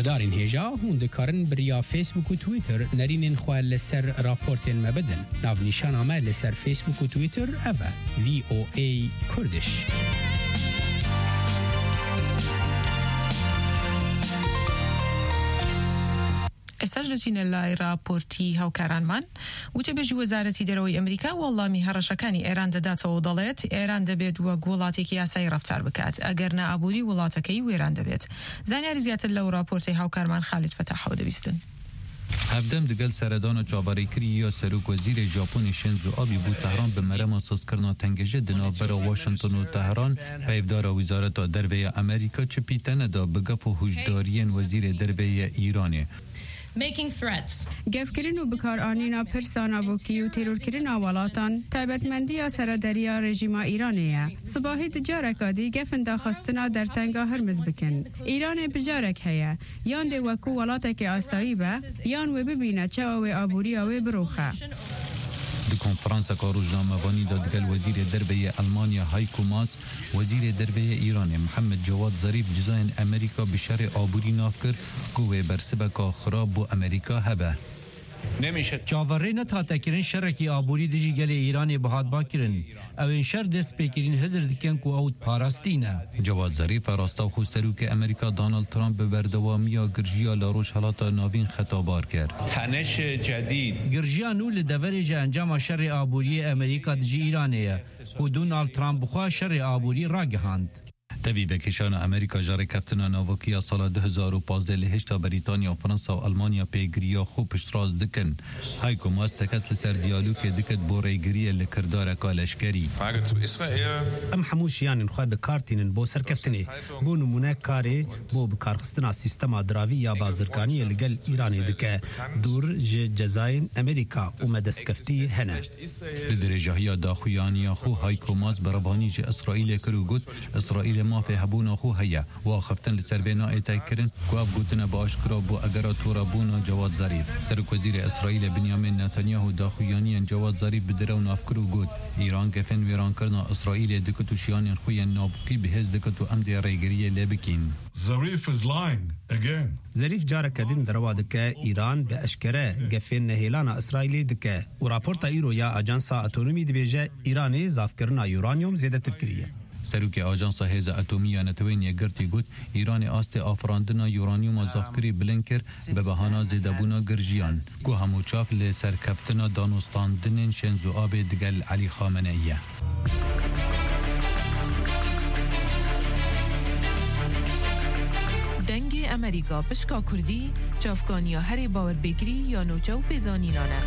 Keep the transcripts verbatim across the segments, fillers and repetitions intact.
Darên hêja, hûn dikarin bi riya Facebook û Twitter nerînên xwe li ser raportên me bidin. Navnîşana me li ser Facebook û Twitter ev e, V O A Kurdish. ئێستاش دەچینە لای راپۆرتی هاوکارانمان. وتەبێژی وەزارەتی دەرەوەی ئەمریکا وەڵامی هەڕەشەکانی ئێران دەداتەوە و دەڵێت، ئێران دەبێت وەک وڵاتێکی یاسایی ڕەفتار بکات، ئەگەر نا ئابووری وڵاتەکەی وێران دەبێت. زانیاری زیاتر لەو راپۆرتەی هاوکارمان خالید فەتاحەوە دەبیستن. Hevdem digel seredana çaverêkirî ya Serok Wezîrê Japonê Shinzo Abe bû Tehran bi merema sazkirina tengêjê di navbera Washington û Tehran. Peyvdara Wizareta Derve ya Amerîka çi pîte neda bi gef û hûşdariyên Wezîrê Derve yê Îranê. Making threats. Gefkirin û bikaranîna pirsa navokî û terorkirina welatan taybetmendiya serederiya rejîma Îranê ye. Sibahî di careka dî gefin daxistina dertenga Hirmiz bikin. Îranê bijarek heye, yan dê wekû welatekê asayî be, yan wê bibîne çawa wê aboriya wê biroxe. Di konferanseka rojnamevanî de digel Wezîrê Derve yê Elmanya Heiko Maas, Wezîrê Derve yê Îranê Mihemed Cewad Zarîf cizayên Amerîka bi şerê aborî nav kir ku wê bersiveka xirab bo Amerîka hebe. Çaverê netate kirin şerekî aborî dijî gelê Îranê bihatba kirin. Ew ên şer dest pê kirîn hizir dikin ku ew parastî ne. Cewad Zarîf, rastewxo Serokê Amerîka Donald Trump bi berdewamiya girjiya li Rojhelata Navîn xetabar kir. تنش جدید. Girjiya nû li deverê ji encama şerê aboriyê Amerîka dijî Îranê ye, ku Donald Trump bi xwe şerê aborî ragihand. Tevî vekişana Amerîka ji rêkeftina navokî ya sala du hezar û pazdeh li hêşta Brîtanya, Fransa û Elmanya pêgiriya xwe piştrast dikin. Heiko Maas tekez li ser diyalogê dikit bo rêgiriyê li kirdareka leşkerî. Frage zu Israel. Em hemû jiyanên xwe bi kar tînin bo serkeftinê. Bo nimûne karê bo bikarxistina sîstema diravî ya bazirganiyê li gel Îranê dike. Dûr ji cezayên Amerîka û me destkeftî hene. Li dirêjahiya daxuyaniya xwe Heiko Maas berevanî ji Îsraîlê kir û got, Îsraîlê mafê hebûna xwe heye. Û axiftin li ser vê nayê tê kirin ku ev gotine bi aşkira bû egera torabûna Cewad Zarîf. Serokwezîrê Îsraîlê Binyamin Netanyahu daxuyaniyên Cewad Zarîf bi direw nav kir û got, Îran gefên wêrankirina Îsraîlê dikit û şiyanên xwe yên navokî bi hêz dikit û em dê rêgiriyê lê bikîn. Zarif is lying again. Zarîf careke din derewa dike, Îran bi eşkere gefên nehêlana Îsraîlê dike û raporta îro ya Ajansa Atomî dibêje Îranê zafkirina uranyum zêdetir kiriye. Serokê Ajansa Hêza Atomî ya Netewên Yekgirtî got, Îranê astê afirandina uranyuma zafkirî bilind kir bi behana zêdebûna girjiyan, ku hemû çav li serkeftina danûstandinên Şenzo Abê digel Elî Xameneî ye. Dengê Amerîka pişka Kurdî, çavkaniya herê bawerpêkirî ya nûçe û pêzanînan e.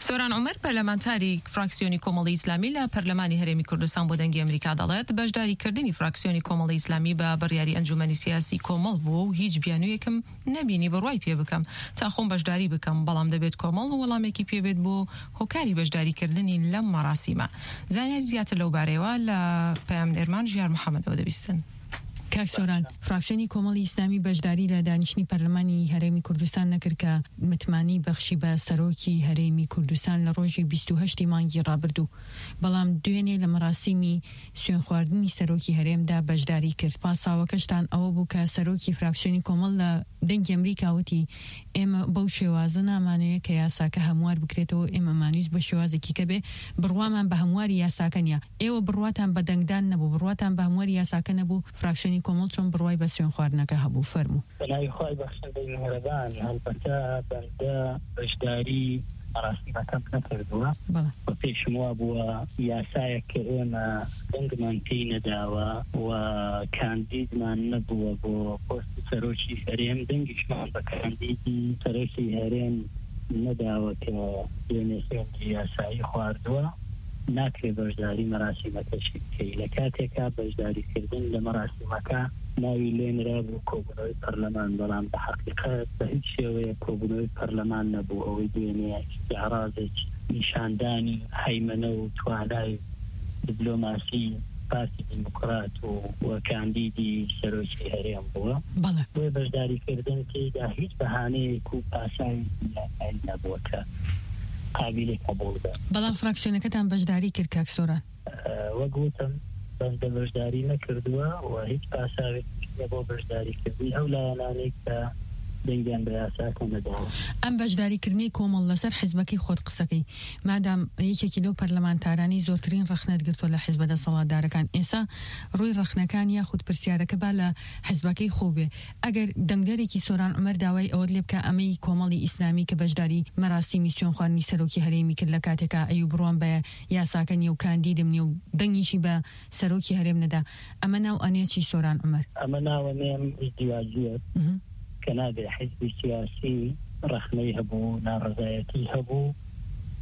سۆران عومەر، پەرلەمانتاری فراکسیۆنی کۆمەڵی ئیسلامی لە پەرلەمانی هەرێمی کوردستان بۆ دەنگی ئەمریکا دەڵێت، بەشداریکردنی فراکسیۆنی کۆمەڵی ئیسلامی بە بڕیاری ئەنجومەنی سیاسی کۆمەڵ بووە و هیچ بیانوویەکم نەبینی بڕوای پێ بکەم تا خۆم بەشداری بکەم، بەڵام دەبێت کۆمەڵ وەڵامێکی پێبێت بۆ هۆکاری بەشداریکردنی لەم مەراسیمە. زانیاری زیاتر لەو بارەیەوە لە پەیامنێرمان ژیار محەممەدەوە دەبیستن. کاک سۆران، فراکسیۆنی کۆمەڵی ئیسلامی بەشداری لە دانیشتنی پەرلەمانی هەرێمی کوردستان نەکرد کە متمانی بەخشی بە سەرۆکی هەرێمی کوردستان لە ڕۆژی بیست و هەشتی مانگی ڕابردوو. بەڵام دوێنێ لە مەراسیمی سوێن خواردنی سەرۆکی هەرێمدا بەشداری کرد. پاساوەکەشتان ئەوە بوو کە سەرۆکی فراکسیۆنی کۆمەڵ لە دەنگی ئەمریکا وتی، ئێمە بەو شێوازە نامانەوێت کە یاساکە هەموار بکرێتەوە، ئێمە مانویست بە شێوازێکی کە بێ بڕوامان بە هەمواری یاساکە نییە. ئێوە بڕواتان بە دەنگدان نەبوو، بڕواتان بە هەمواری یاساکە نەبوو، فراکسیۆنی کۆمەڵ چۆن بڕوای بە سوێن خواردنەکە هەبوو؟ فەرموو. بەناوی خوای بەخشندەی میهرەبان، هەڵبەتە بەندە بەشداری مەراسیمەکەم نەکردووە. بەڵێ. و پێشم وا بووە یاسایەک کە ئێمە دەنگمان پێی نەداوە و کاندیدمان نەبووە بۆ پۆستی سەرۆکی هەرێم، دەنگیشمان بە کاندیدی سەرۆکی هەرێم نەداوە کە دوێنێ سوێندی یاسایی خواردووە، ناکرێ بەشداری مەراسیمەکەشی بکەی. لە کاتێکا بەشداریکردن لە مەراسیمەکە ناوی لێنرا بۆ کۆبوونەوەی پەرلەمان، بەڵام بە حەقیقەت بە هیچ شێوەیە کۆبوونەوەی پەرلەمان نەبوو. ئەوەی دوێنێ استعراضێک نیشاندانی هەیمەنە و توانای دیبلۆماسی پارتی دیموکرات و، و کاندیدی سەرۆکی هەرێم بووە. بەڵێ. بۆیە بەشداریکردن تێیدا هیچ بەهانەیەک و پاساوێکی یاسایی نەبووە کە قابیلی قبول بێت. بەڵام فراکسیۆنەکەتان بەشداری کرد، کاک سۆران. ئە، وەک وتم، بەندە بەشداری نەکردووە و هیچ پاساوێکی نییە بۆ بەشداریکردنی ئەو لایەنانەی کە دەنگیان بە یاساکە نەداوە. ئەم بەشداریکردنی کۆمەڵ لەسەر حیزبەکەی خۆت قسەکەی، مادام یەکێکی لەو پەرلەمانتارانی زۆرترین ڕەخنەت گرتووە لە حیزبە دەسەڵاتدارەکان، ئێستا ڕووی ڕەخنەکان یاخود پرسیارەکە با لە حیزبەکەی خۆ بێ. ئەگەر دەنگدەرێکی سۆران عومەر داوای ئەوەت لێ بکە ئەمەی کۆمەڵی ئیسلامی کە بەشداری مەراسیمی سوێنخواردنی سەرۆکی هەرێمی کرد لە کاتێکا ئەیوب ڕوان بە یاساکە نییە و کاندیدم نییە و دەنگیشی بە سەرۆکی هەرێم نەدا، ئەمە ناو ئەنێ چی سۆران عومەر؟ ئەمە ناوە نێم ازدیواجیەت مهم. کە نابێ حیزبی سیاسی ڕەخنەی هەبوو، ناڕەزایەتی هەبوو،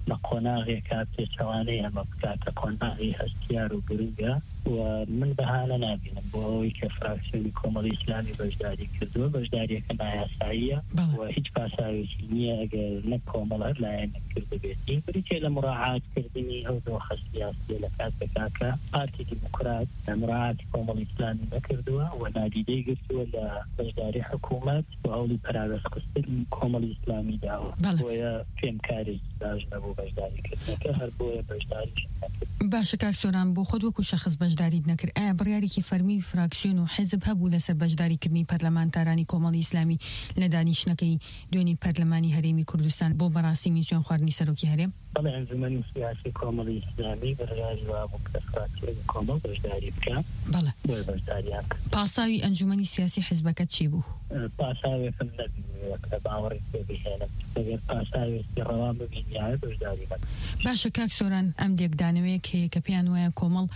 لە قۆناغێکا پێچەوانەی ئەمە بکاتە قۆناغی هەستیار و گرنگە و من بەهانە نابینم بۆ ئەوەی کە فراکسیۆنی کۆمەڵی ئیسلامی بەشداری کردووە. بەشداریەکە نایاساییە بەڵێ. و هیچ پاساوێکی نییە ئەگەر نەک کۆمەڵ هەر لایەنێک کردبێتی. بریتیە لە مراعاتکردنی ئەو دۆخە سیاسیە لە کاتێکا کە پارتی دیموکرات مراعاتی کۆمەڵی ئیسلامی نەکردووە و نادیدەی گرتووە لە بەشداری حکوومەت و هەوڵی پەراوێزخستنی کۆمەڵی ئیسلامی داوە. بەڵێ. بۆیە پێم کارێکی باش نەبوو بەشداریکردنەکە، هەر بۆیە بەشداریش نەکرد. باشە کاک سۆران، بۆ خۆت وەکو شەخص بەشداریت نەکرد، ئایا بڕیارێکی فەرمی فراکسیۆن و حیزب هەبوو لەسەر بەشداریکردنی پەرلەمانتارانی کۆمەڵی ئیسلامی لە دانیشتنەکەی دوێنی پەرلەمانی هەرێمی کوردستان بۆ مەراسیمی سوێنخواردنی سەرۆکی هەرێم؟ بەڵێ، ئەنجومەنی سیاسی کۆمەڵی ئیسلامی بڕیاری وابوو کە فراکسیۆنی کۆمەڵ بەشداری بکە. بەڵێ. بۆیە بەشداریان کرد. پاساوی ئەنجومەنی سیاسی حیزبەکە چی بوو؟ پاساوێکم نەبینیوە کە باوەڕی پێ بهێنم. ئەگەر پاساوێکی ڕەوا ببینیایە، بەشداری نەکەم. باشە کاک سۆران، ئەم لێکدانەوەیەک هەیە کە پێیان وایە کۆمەڵ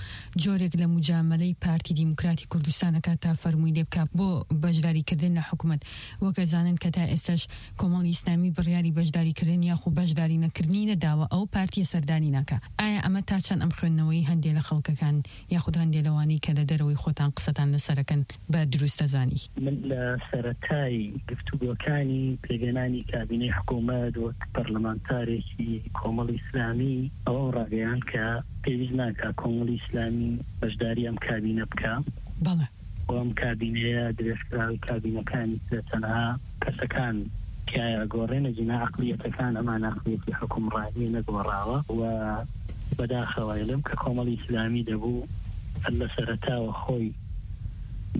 جۆرێک لە مجاملەی پارتی دیموکراتی کوردستانەکە تا فەرمووی لێ بکا بۆ بەشداریکردن لە حکوومەت. وەکە زانن کە تا ئێستاش کۆمەڵی ئیسلامی بڕیاری بەشداریکردن یاخو بەشداری نەکردنی نەداوە، ئەو پارتیە سەردانی ناکا. ئایا ئەمە تا چەند ئەم خوێندنەوەی هەندێک لە خەڵکەکان یاخود هەندێک لەوانەی کە لە دەرەوەی خۆتان قسەتان لەسەرەکەن بە دروست دەزانی؟ من لە سەرەتای گفتوگۆکانی پێگەنانی کابینەی حکوومەت وەک پەرلەمانتارێکی کۆمەڵی ئیسلامی ئەوەم ڕاگەیان کە پێویست ناکا کۆمەڵی ئیسلامی بەشداری ئەم کابینە بکە. بەڵێ. و ئەم کابینەیە درێژکراوی کابینەکانی ترە، تەنها کەسەکان تیایە گۆڕێنە جینا عقلیەتەکان، ئەمان عقلیەتی حکومڕانی نەگۆڕاوە و بەداخەوە ئەڵێم کە کۆمەڵی ئیسلامی دەبوو لە سەرەتاوە خۆی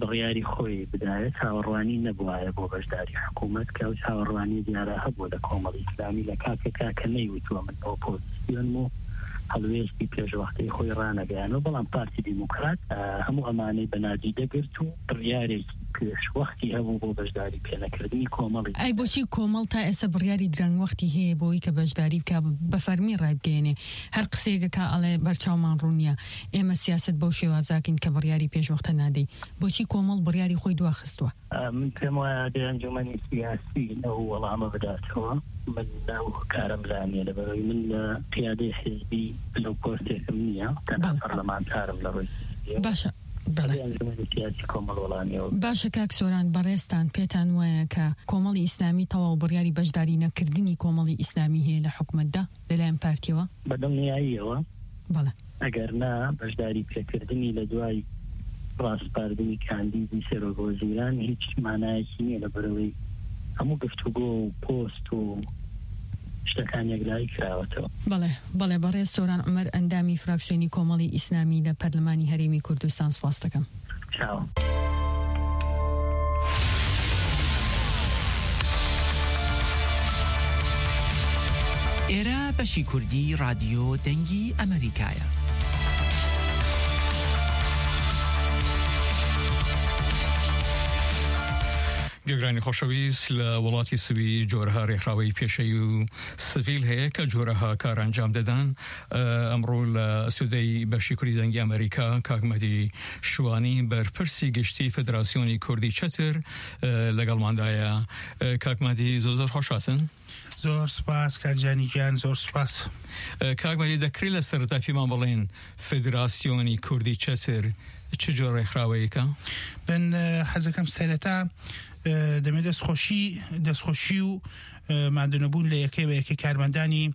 بڕیاری خۆی بدایە، چاوەڕوانی نەبوایە بۆ بەشداری حکوومەت، کە ئەو چاوەڕوانی دیارە هەبوو لە کۆمەڵی ئیسلامی لە کاتێکا کە نەیوتووە من ئۆپۆزیسیۆنم و هەڵوێستی پێشوەختەی خۆی ڕانەگەیانەوە. بەڵام پارتی دیموکرات، ئە، هەموو ئەمانەی بە نادیدە گرت و بڕیارێکی پێشوەختی هەبوو بۆ بەشداری پێنەکردنی کۆمەڵی. ئەی بۆچی کۆمەڵ تا ئێستا بڕیاری درەنگ وەختی هەیە بۆی کە بەشداری بکە بە فەرمی ڕایبگەیەنێ؟ هەر قسەیەکە ئەڵێ بەرچاومان ڕوونیە، ئێمە سیاست بەو شێوازاکەین کە بڕیاری پێشوەختە نادەی. بۆچی کۆمەڵ بڕیاری خۆی دواخستووە؟ ئە، من پێم وایە دەی ئەنجومەنی سیاسی ئەو وەڵامە بداتەوە. من ئەو کارم لا نییە، لەبەرەوەی من لە قیادەی حیزبی لەو پۆستێکم نییە، تەنها بەڵێ. پەرلەمانتارم لە ڕووی سیاسی. باشە. بەڵێ. دەی ئەنجومەنی سیاسی کۆمەڵ وەڵامی ئەوە. باشە کاک سۆران، بەڕێستان پێتان وایە کە کۆمەڵی ئیسلامی تەواو بڕیاری بەشداری نەکردنی کۆمەڵی ئیسلامی هەیە لە حکوومەتدا لەلایەن پارتیەوە؟ بە دڵنیاییەوە. بەڵێ. ئەگەر نا، بەشداری پێکردنی لە دوای ڕاسپاردنی کاندیدی سەرۆک وەزیران هیچ مانایەکی نییە، لە بەرەوەی هەموو گفتوگۆ و پۆست و شتەکان یەکلایی کراوەتەوە. بەڵێ، بەڵێ، بەڕێز سۆران عومەر، ئەندامی فراکسیۆنی کۆمەڵی ئیسلامی لە پەرلەمانی هەرێمی کوردستان، سپاس دەکەم. چاو. ئێرە بەشی کوردی ڕادیۆ دەنگی ئەمریکایە. گوێگرانی خۆشەویست، لە وڵاتی سوید جۆرەها ڕێکخراوەی پێشەوی و سڤیل هەیە کە جۆرەها کار ئەنجام دەدەن. ئە، ئەمڕۆ لە ئەستودەی بەشی کوردی دەنگی ئەمریکا کاک مەهدی شوانی، بەرپرسی گشتی فدراسیۆنی کوردی چەتر، ئە، لەگەڵماندایە. ئە، کاک مەهدی، زۆر زۆر خۆش هاتن. زۆر سپاس کاک جانی گیان، زۆر سپاس. ئە، کاک مەهدی، دەکرێت لە سەرەتا پێمان بڵێن فدراسیۆنی کوردی چەتر چ جۆر ڕێکخراوەیەکە؟ بن، ئە، حەزەکەم سەرەتا، ئە، دەمێ دەستخۆشی، دەستخۆشی و ماندوونەبوون لە یەکەی بە یەکەی کارمەندانی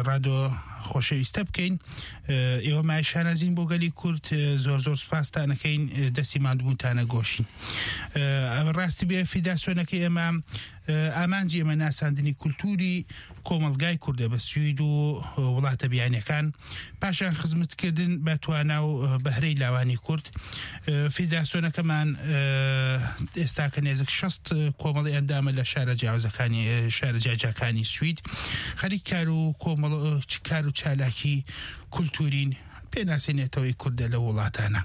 ڕادۆ خۆشەویستە بکەین. ئێوە مای شانازین بۆ گەلی کورد، زۆر زۆر سپاستانەکەین، دەستی ماندووبوونتانە گۆشین. ئەوە ڕاستی بێ فیداسیۆنەکەی ئێمە، ئامانجی ئێمە ناساندنی کولتوری کۆمەلگای کوردە بە سوید و وڵاتە بیانیەکان، پاشان خزمەتکردن بە توانا و بەهرەی لاوانی کورد. فیداسیۆنەکەمان ئێستا کە نێزیک شەست کۆمەڵی ئەندامە لە شارە جیاوازەکانی، شارە جیاجاکانی سوید، خەریک کار و کۆمەڵ، کار و چالاکی کولتورین، پێناسەی نێتەوەی کوردە لە وڵاتانە.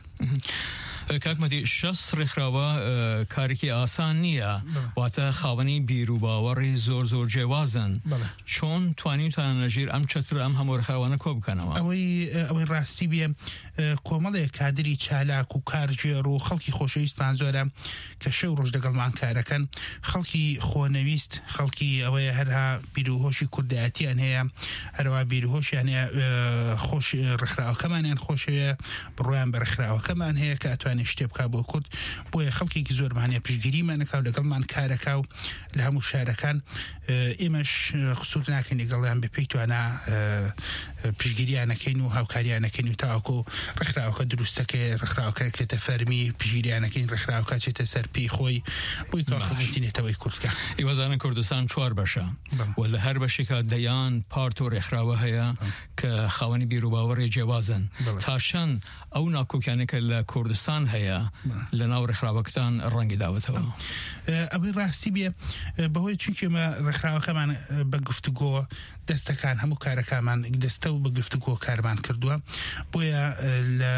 کاک مەتی، شەست ڕێکخراوە، ئە، کارێکی ئاسان نییە. بەڵێ. واتە خاوەنی بیر و باوەڕی زۆر زۆر جیاوازن. بەڵێ. چۆن توانیتان لە ژێر ئەم چەترە ئەم هەموو ڕێکخراوانە کۆ بکەنەوە؟ ئەوەی، ئەوەی ڕاستی بێ، ئە، کۆمەڵێک کادری چالاک و کارژێر و خەڵکی خۆشەویستمان زۆرە کە شەو ڕۆژ لەگەڵمان کارەکەن. خەڵکی خۆنەویست، خەڵکی ئەوەیە هەرها بیر و هۆشی کوردایەتیان هەیە، هەروە بیر و هۆشیان هەیە، ئە، خۆش، ڕێکخراوەکەمانیان خۆشەوێ، بڕوایان بە ڕێکخراوەکەمان هەیە کە ئەتوانێت شتێ بکا بۆ کورد. بۆیە خەڵکێکی زۆرمان هەیە پشتگیریمان نەکا و لەگەڵمان کارەکا و لە هەموو شارەکان، ئە، ئێمەش، ئە، قسوور ناکەین لەگەڵیان بە پێی توانا، ئە، پشتگیریانەکەین و هاوکاریانەکەین و تاوەکو ڕێکخراوەکە دروستەکەی، ڕێکخراوەکە کێتە فەرمی، پشتگیریانەکەین، ڕێکخراوەکە چێتە سەر پێی خۆی، بۆی کەوا باش. خزمەتی نێتەوەی کورد بکا. ئێوەزانن کوردستان چوار بەشە. بەڵێ. و لە هەر بەشێکا دەیان پارت و ڕێکخراوە هەیە بەڵێ. کە خاوەنی بیر و باوەڕی جیاوازن. بەڵێ. تا چەند ئەو ناکۆکیانە کە لە کوردستان هەیە، بەڵێ. لە ناو ڕێکخراوەکەتان ڕەنگی داوەتەوە؟ ئە، ئەوەی ڕاستی بێ، ئە، بەهۆی چونکی ئێمە ڕێکخراوەکەمان، ئە، بە گفتوگۆ دەستەکان، هەموو کارەکانمان دەستە و بە گفتوگۆ کارمان کردووە. بۆیە، ئە، لە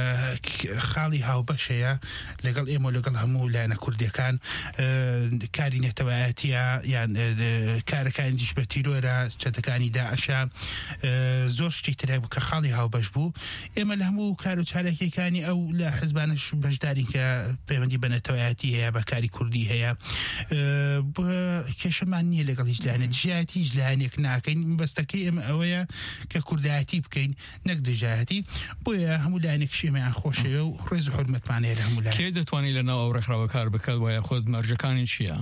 خاڵی هاوبەش هەیە لەگەڵ ئێمە و لەگەڵ هەموو لایەنە کوردیەکان، ئە، کاری نێتەوایەتیە، یان، ئە، کارەکانی دژ بە تیرۆرە، چەتەکانی داعشە، ئە، زۆر شتی تر هەبوو کە خاڵی هاوبەش بوو. ئێمە لە هەموو کار و چالاکیەکانی ئەو لە حزبانش بەشدارین کە پەیوەندی بە نەتەوەیەتی هەیە، بە کاری کوردی هەیە. ئە، بە کێشەمان نییە لەگەڵ هیچ لایەنێک، دژایەتی هیچ لایەنێک ناکەین. مەبەستەکەی ئێمە ئەوەیە کە کوردایەتی بکەین، نەک دژایەتی. بۆیە هەموو لایەنێکیش ئێمەیان خۆشەوێ و ڕێز و حورمەتمان هەیە لە هەموو لایەن. کێ دەتوانێت لە ناو ئەو ڕێکخراوە کار بکات و یاخود مەرجەکانی چییە؟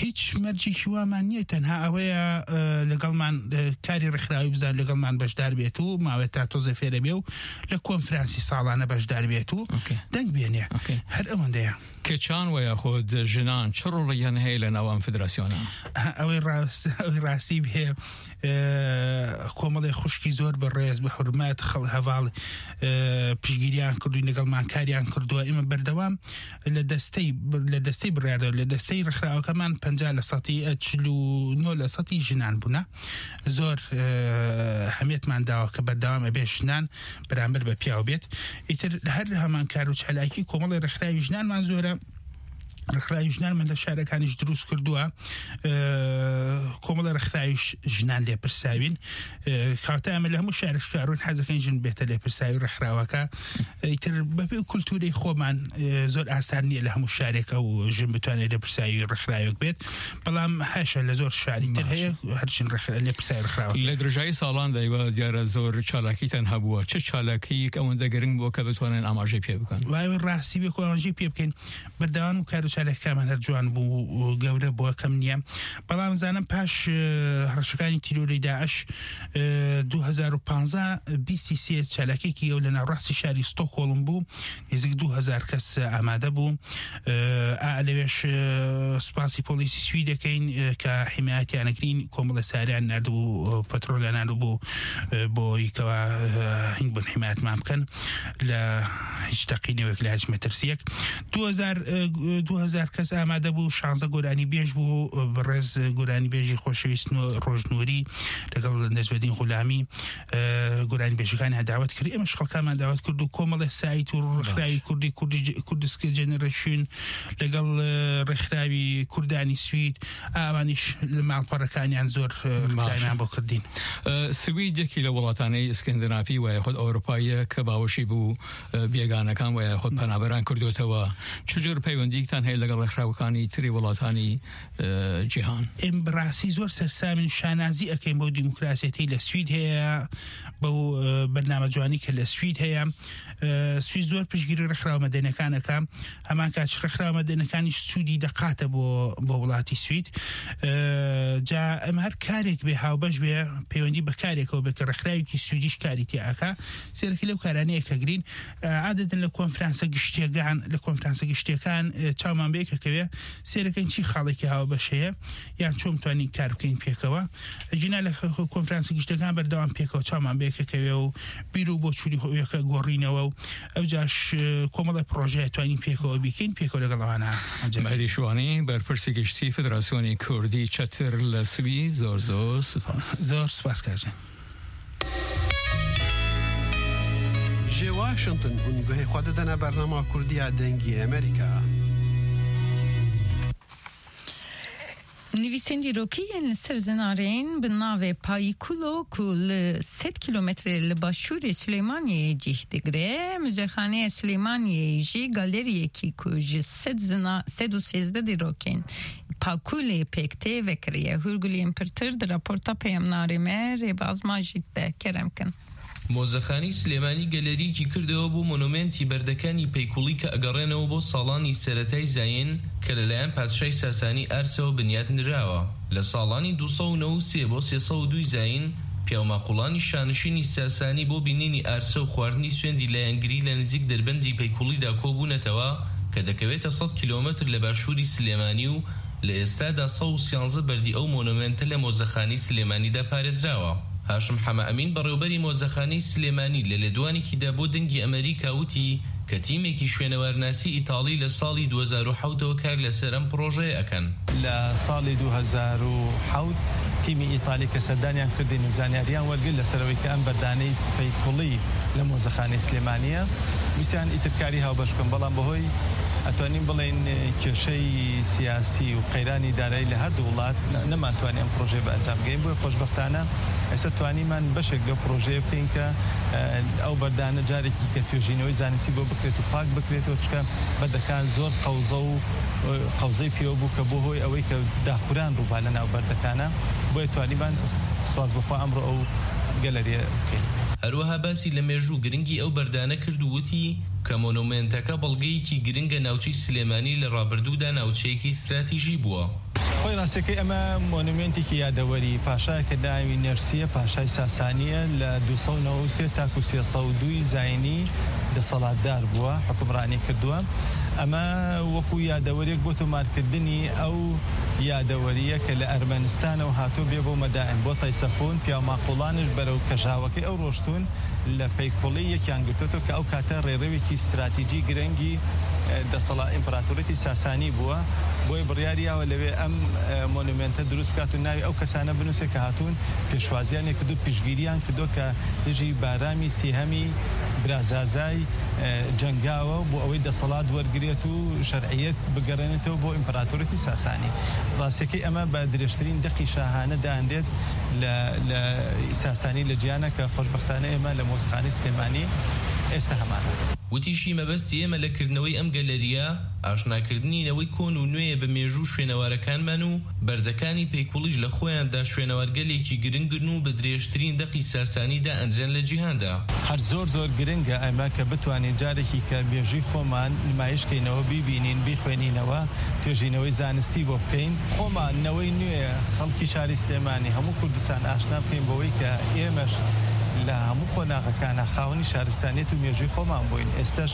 هیچ مەرجێکی وامان نییە، تەنها ئەوەیە، ئە، لەگەڵمان، ئە، کاری ڕێکخراوی بزان لەگەڵمان بەشدار بێت و ماوەت تا تۆزێ فێرە بێ و لە کۆنفرانسی ساڵانە بەشدار بێت و ئۆکەی. دەنگ بێنێ. ئۆکەی. هەر ئەوەندەیە. کچان و یاخود ژنان چ ڕۆڵێکیان هەیە لە ناو ئەم فدراسیۆنە؟ ئەوەی ڕاست-، ئەوەی ڕاستی بێ، ئە، کۆمەڵی خوشکی زۆر بە ڕێز، بە حورمەت، خەڵ هەڤاڵ، ئە، پشگیریان کردوین، لەگەڵمان کاریان کردووە. ئێمە بەردەوام لە دەستەی، لە دەستەی بڕیاردەر، لە دەستەی ڕێکخراوەکەمان پەنجا لە سەتی، ئە، چل و نۆ لە سەتی ژنان بوونە. زۆر، ئە، هەمێتمان داوە کە بەردەوام ئەبێ ژنان بەرامبەر بە پیاو بێت. ئیتر هەر هەمان کار و چالاکی کۆمەڵی ڕێکخراوی ژنانمان زۆرە. ڕێکخراوی ژنانمان لە شارەکانیش دروست کردووە. ئە، کۆمەڵی ڕێکخراویش ژنان لێپرساوین. ئە، کاتە ئەمە لە هەموو شارێک کارون حەزەکەین ژن بێتە لێپرساوی ڕێکخراوەکە. ئیتر بەپێ کولتوری خۆمان، ئە، زۆر ئاسان نییە لە هەموو شارێکە و ژن بتوانێت لێپرساوی ڕێکخراوێک بێت. بەڵام هەشە لە زۆر شاری تر باشە. هەیە، هەر ژن ڕێکخرا-، لێپرساوی ڕێکخراوەکە. لە درژایی ساڵاندا ئێوە دیارە زۆر چالاکیتان هەبووە. چ چالاکییەک ئەوەندە گرنگ بووە کە بتوانن ئاماژەی پێ بکەن؟ وای، ئەوەی ڕاستی بێ، کۆ ئاماژەی پێ بکەین. بەردەوام و کار و چالاکیەکانمان هەر جوان بوو و گەورە بووە، کەم نییە. بەڵام زانم پاش، ئە، هەڕەشەکانی تیرۆری داعش، ئە، دوو هەزار و پانزە، بیست و سێ چالاکیەکی ئەو لە ناوڕاستی شاری ستۆکهۆڵم بوو. نێزیک دوو هەزار کەس ئامادە بوو. ئە، ئا لەوێش، ئە، سوپاسی پۆلیسی سوید دەکەین، ئە، کە حیمایەتیان ئەکرین، کۆمەڵە ساریان ناردبوو، ئە، پەترۆلیان ناردبوو، ئە، بۆ یکەوە، ئە، هینگ بن حیمایەتمان بکەن لە هیچ تەقینەوەیەک، لە هیچ مەترسیەک. دوو هەزار، ئە، دوو هەزار کەس ئامادە بوو، شانزە گۆرانی بێژ بوو، بەڕێز گۆرانی بێژی خۆشەویست نۆ-، ڕۆژنووری لەگەڵ نەجمەدین غولامی، ئە، گۆرانی بێژەکانیان داوەت کرد. ئێمەش خەڵکانمان داوەت کرد و کۆمەڵێ سایت و ڕێکخراوی باش. کوردی، کوردی ج-، کوردسکر جێنەرەیشن لەگەڵ، ئە، ڕێکخراوی کوردانی سوید، ئەوانیش لە ماڵپەڕەکانیان زۆر، ئە، باشە. ڕێکخراویان بۆ کردین. ئە، سوید یەکی لە وڵاتانەی ئیسکەندینافی و یاخود ئەوروپاییە کە باوەشی بوو، ئە، بێگانەکان و یاخود پەنابەران کردوتەوە. چ جۆر پەیوەندیەکتان لەگەڵ ڕێکخراوەکانی تری وڵاتانی، ئە، جیهان. ئێمە بەڕاستی زۆر سەرسامین، شانازی ئەکەین بەو دیموکراسیەتەی لە سوید هەیە، بەو، ئە، بەرنامە جوانی کە لە سوید هەیە. ئە، سوید زۆر پشتگیری ڕێکخراوە مەدەنیەکان ئەکا، هەمان کات ڕێکخراوە مەدەنیەکانیش سوودی دەقاتە بۆ، بۆ وڵاتی سوید. ئە، جا ئەم هەر کارێک بێ هاوبەش بێ، پەیوەندی بە کارێکەوە بێ کە ڕێکخراوێکی سویدیش کاری تێ ئاکا، سێرەکی لەو کارانەیە کە گرین. ئە، عادەتەن لە کۆنفرانسە گشتیەکان، لە کۆنفرانسە گشتیەکان، ئە، چاومان بێ کە کەوێ، سێرەکەین چی خاڵێکی هاوبەش هەیە، یان چۆن توانین کار بکەین پێکەوە. جینا لە خ-، خ-، کۆنفرانسە گشتەکان بەردەوام پێکەوە چاومان بێ کە کەوێ و بیر و بۆچوونی خۆیەکە گۆڕینەوە و ئەو جاش، ئە، کۆمەڵە پرۆژەیە توانین پێکەوە بیکەین، پێکەوە لەگەڵ ئەوانە. مەهدی شوانی، بەرپرسی گشتی فدراسیۆنی کوردی چەتر لە سوی، زۆر زۆر سپاس. زۆر سپاس کاژێ. Ji Washington hûn guhê xwe didine bernama Kurdiya Dengê Amerîka. Nivîsên dîrokî yên li ser zinarên bi navê Payikulo ku li sed kîlometre li başûrê Silêmaniyê cih digire, Muzexaneya Silêmaniyê jî galeriyekî ku ji sed zina-, sed û sêzdeh dîrokên Pakulê pêk tê vekiriye. Hûrguliyên pirtir di raporta peyamnarê me Rêbaz Majîd de. Kerem kin. Mozexanî Silêmanî galeriyekî kirdewe bo monumentî berdekani peykulî ke egerênewe bo salani seretayî zayîn ke li layan padşayî Sasanî erse û binyad nirawe. Li salani du sed û newî sê bo sê sed û du zayîn, piyawmaqûlanî şanişînî Sasanî bo bînînî erse û xwarinî swêndî layengirî li nizîk derbendî peykulî de kobûnetewe ke dekewête sed kîlometr li başûrî Silêmanî û li êsta de sed û siyanzeh berdî ew monumente li Mozexanî Silêmanî de parêzrawe. Haşim Heme Emîn, berêwberî Mozexanî Silêmanî, li lêdwanekî de bo Dengî Amerîka witî ke tîmekî şwênewarnasî Îtalî li salî du hezar û hewt ew kar li ser em projeyê ekin. Li salî du hezar û hewt tîmî Îtalî ke serdaniyan kirdîn û zanyariyan wergirt li ser ewê ke em berdaneyî peykulî li Mozexanî Silêmanî ye. Wîstan îtir karî hawbeş bikin, belam bi hoy, etwanîn bilên, e, kêşeyî siyasî û qeyranî darayî li her du welat ne-, neman twanî em projeyê bi encam geyin. Boye xweşbextane, êse twanîman beşek li projeyê bikin ke, e, ew berdane carekî ke tuêjînewê zanistî bo bikrêt û pak bikrêt û çike berdekan zor qewze û, e, qewzey pêwe bû ke bo hoy ewê ke daxuran rû ba li nav berdekana. Boye twanîman spas bixwe emro ew galeriyê bikin. Her wiha basî li mêjû giringî ew berdane kir û witî ke monumenteke belgeyekî giring e navçeyî Silêmanî li rabirdû de navçeyekî stratejî bûye. Xwê rastiyekê eme monumentîkî yadewerî paşayeke navî Nersiye, paşay Sasanî ye, li du sed û newî sê ta ku sê sed û du zayînî deselatdar bûye, hukimranî kirdiye. Eme wekû yadeweriyek bo tomarkirdinî ew yadewerî ye ke li Ermenistan ew hato bê bo medain, bo Teysefûn, piya maqûlan ji berew kejawekê ew roştûn. Li peykulî yekiyan girtoto ke ew kate rêrewekî stratejî girengî, e, desela împaratoriyetî Sasanî bûye. Boye biryarî yawe lewê em, e, monumente dirust bikat û navê ew kesane binûse ke hatûn pêşwaziyan ê kirdo, piştgiriyan kirdo ke dijî Baramî Sêhemî bira Zazay, e, cengawe bo ewê deselat wergirêt û şer'iyet bigerênetê bo împaratoriyetî Sasanî. Rastiyekê eme bi dirêjtirîn deqî şahane danedêt li, li Sasanî li ciyane ke xweşbextane ême li Mozexanî Silêmanî êste heman e. Witî jî mebestî ême li kirdinewey em galeriya, aşnakirdinî newey kon û nû yê bi mêjû şwênewarekan me û berdekanî peykulî ji li xweyan de şwênewargelekî giring in û bi dirêjtirîn deqî Sasanî de enrên li cîhan de. Her zor zor giring e eme ke bitwanîn carekî ke mêjûyî xweman nimayîş keynewe, bîbînîn, bîxwênînewe, tuêjînewey zanistî bo bikeyn. Xweman newey nû yê xelkî şarî Silêmanî, hemû Kurdistan aşna bikeyn bo wê ke êmeş li hemû qonaxekana xawinî şaristaniyet û mêjûyî xweman bûyn. Êsteş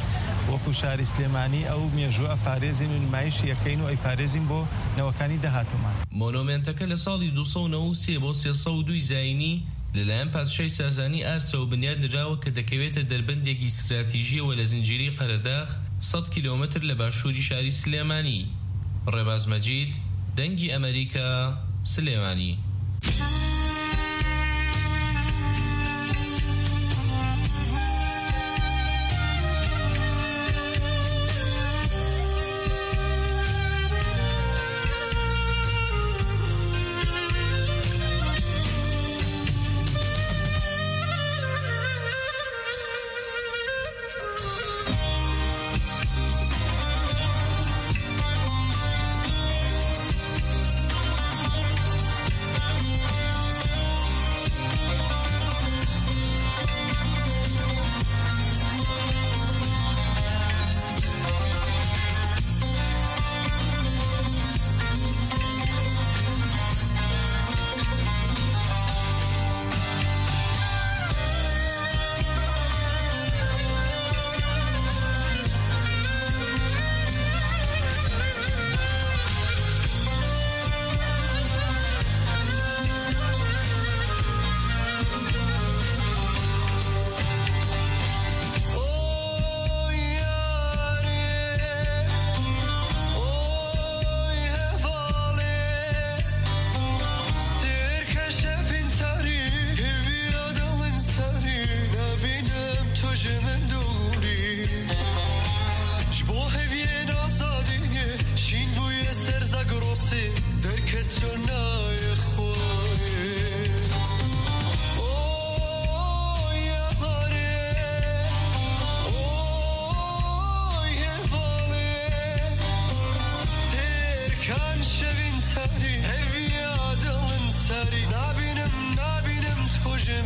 wekû şarî Silêmanî ew mêjû eparêzîn û nimayîşî yekeyn û ey parêzîn bo newekanî dehatûman. Monumenteke li salî du sed û newî sê bo sê sed û du zayînî li layan padşayî Sasanî erse û binyad nirawe ke dekewête derbendekî stratejî ye we li zincîrî Qeredax, sed kîlometr li başûrî şarî Silêmanî. Rêbaz Mecîd, Dengî Amerîka, Silêmanî.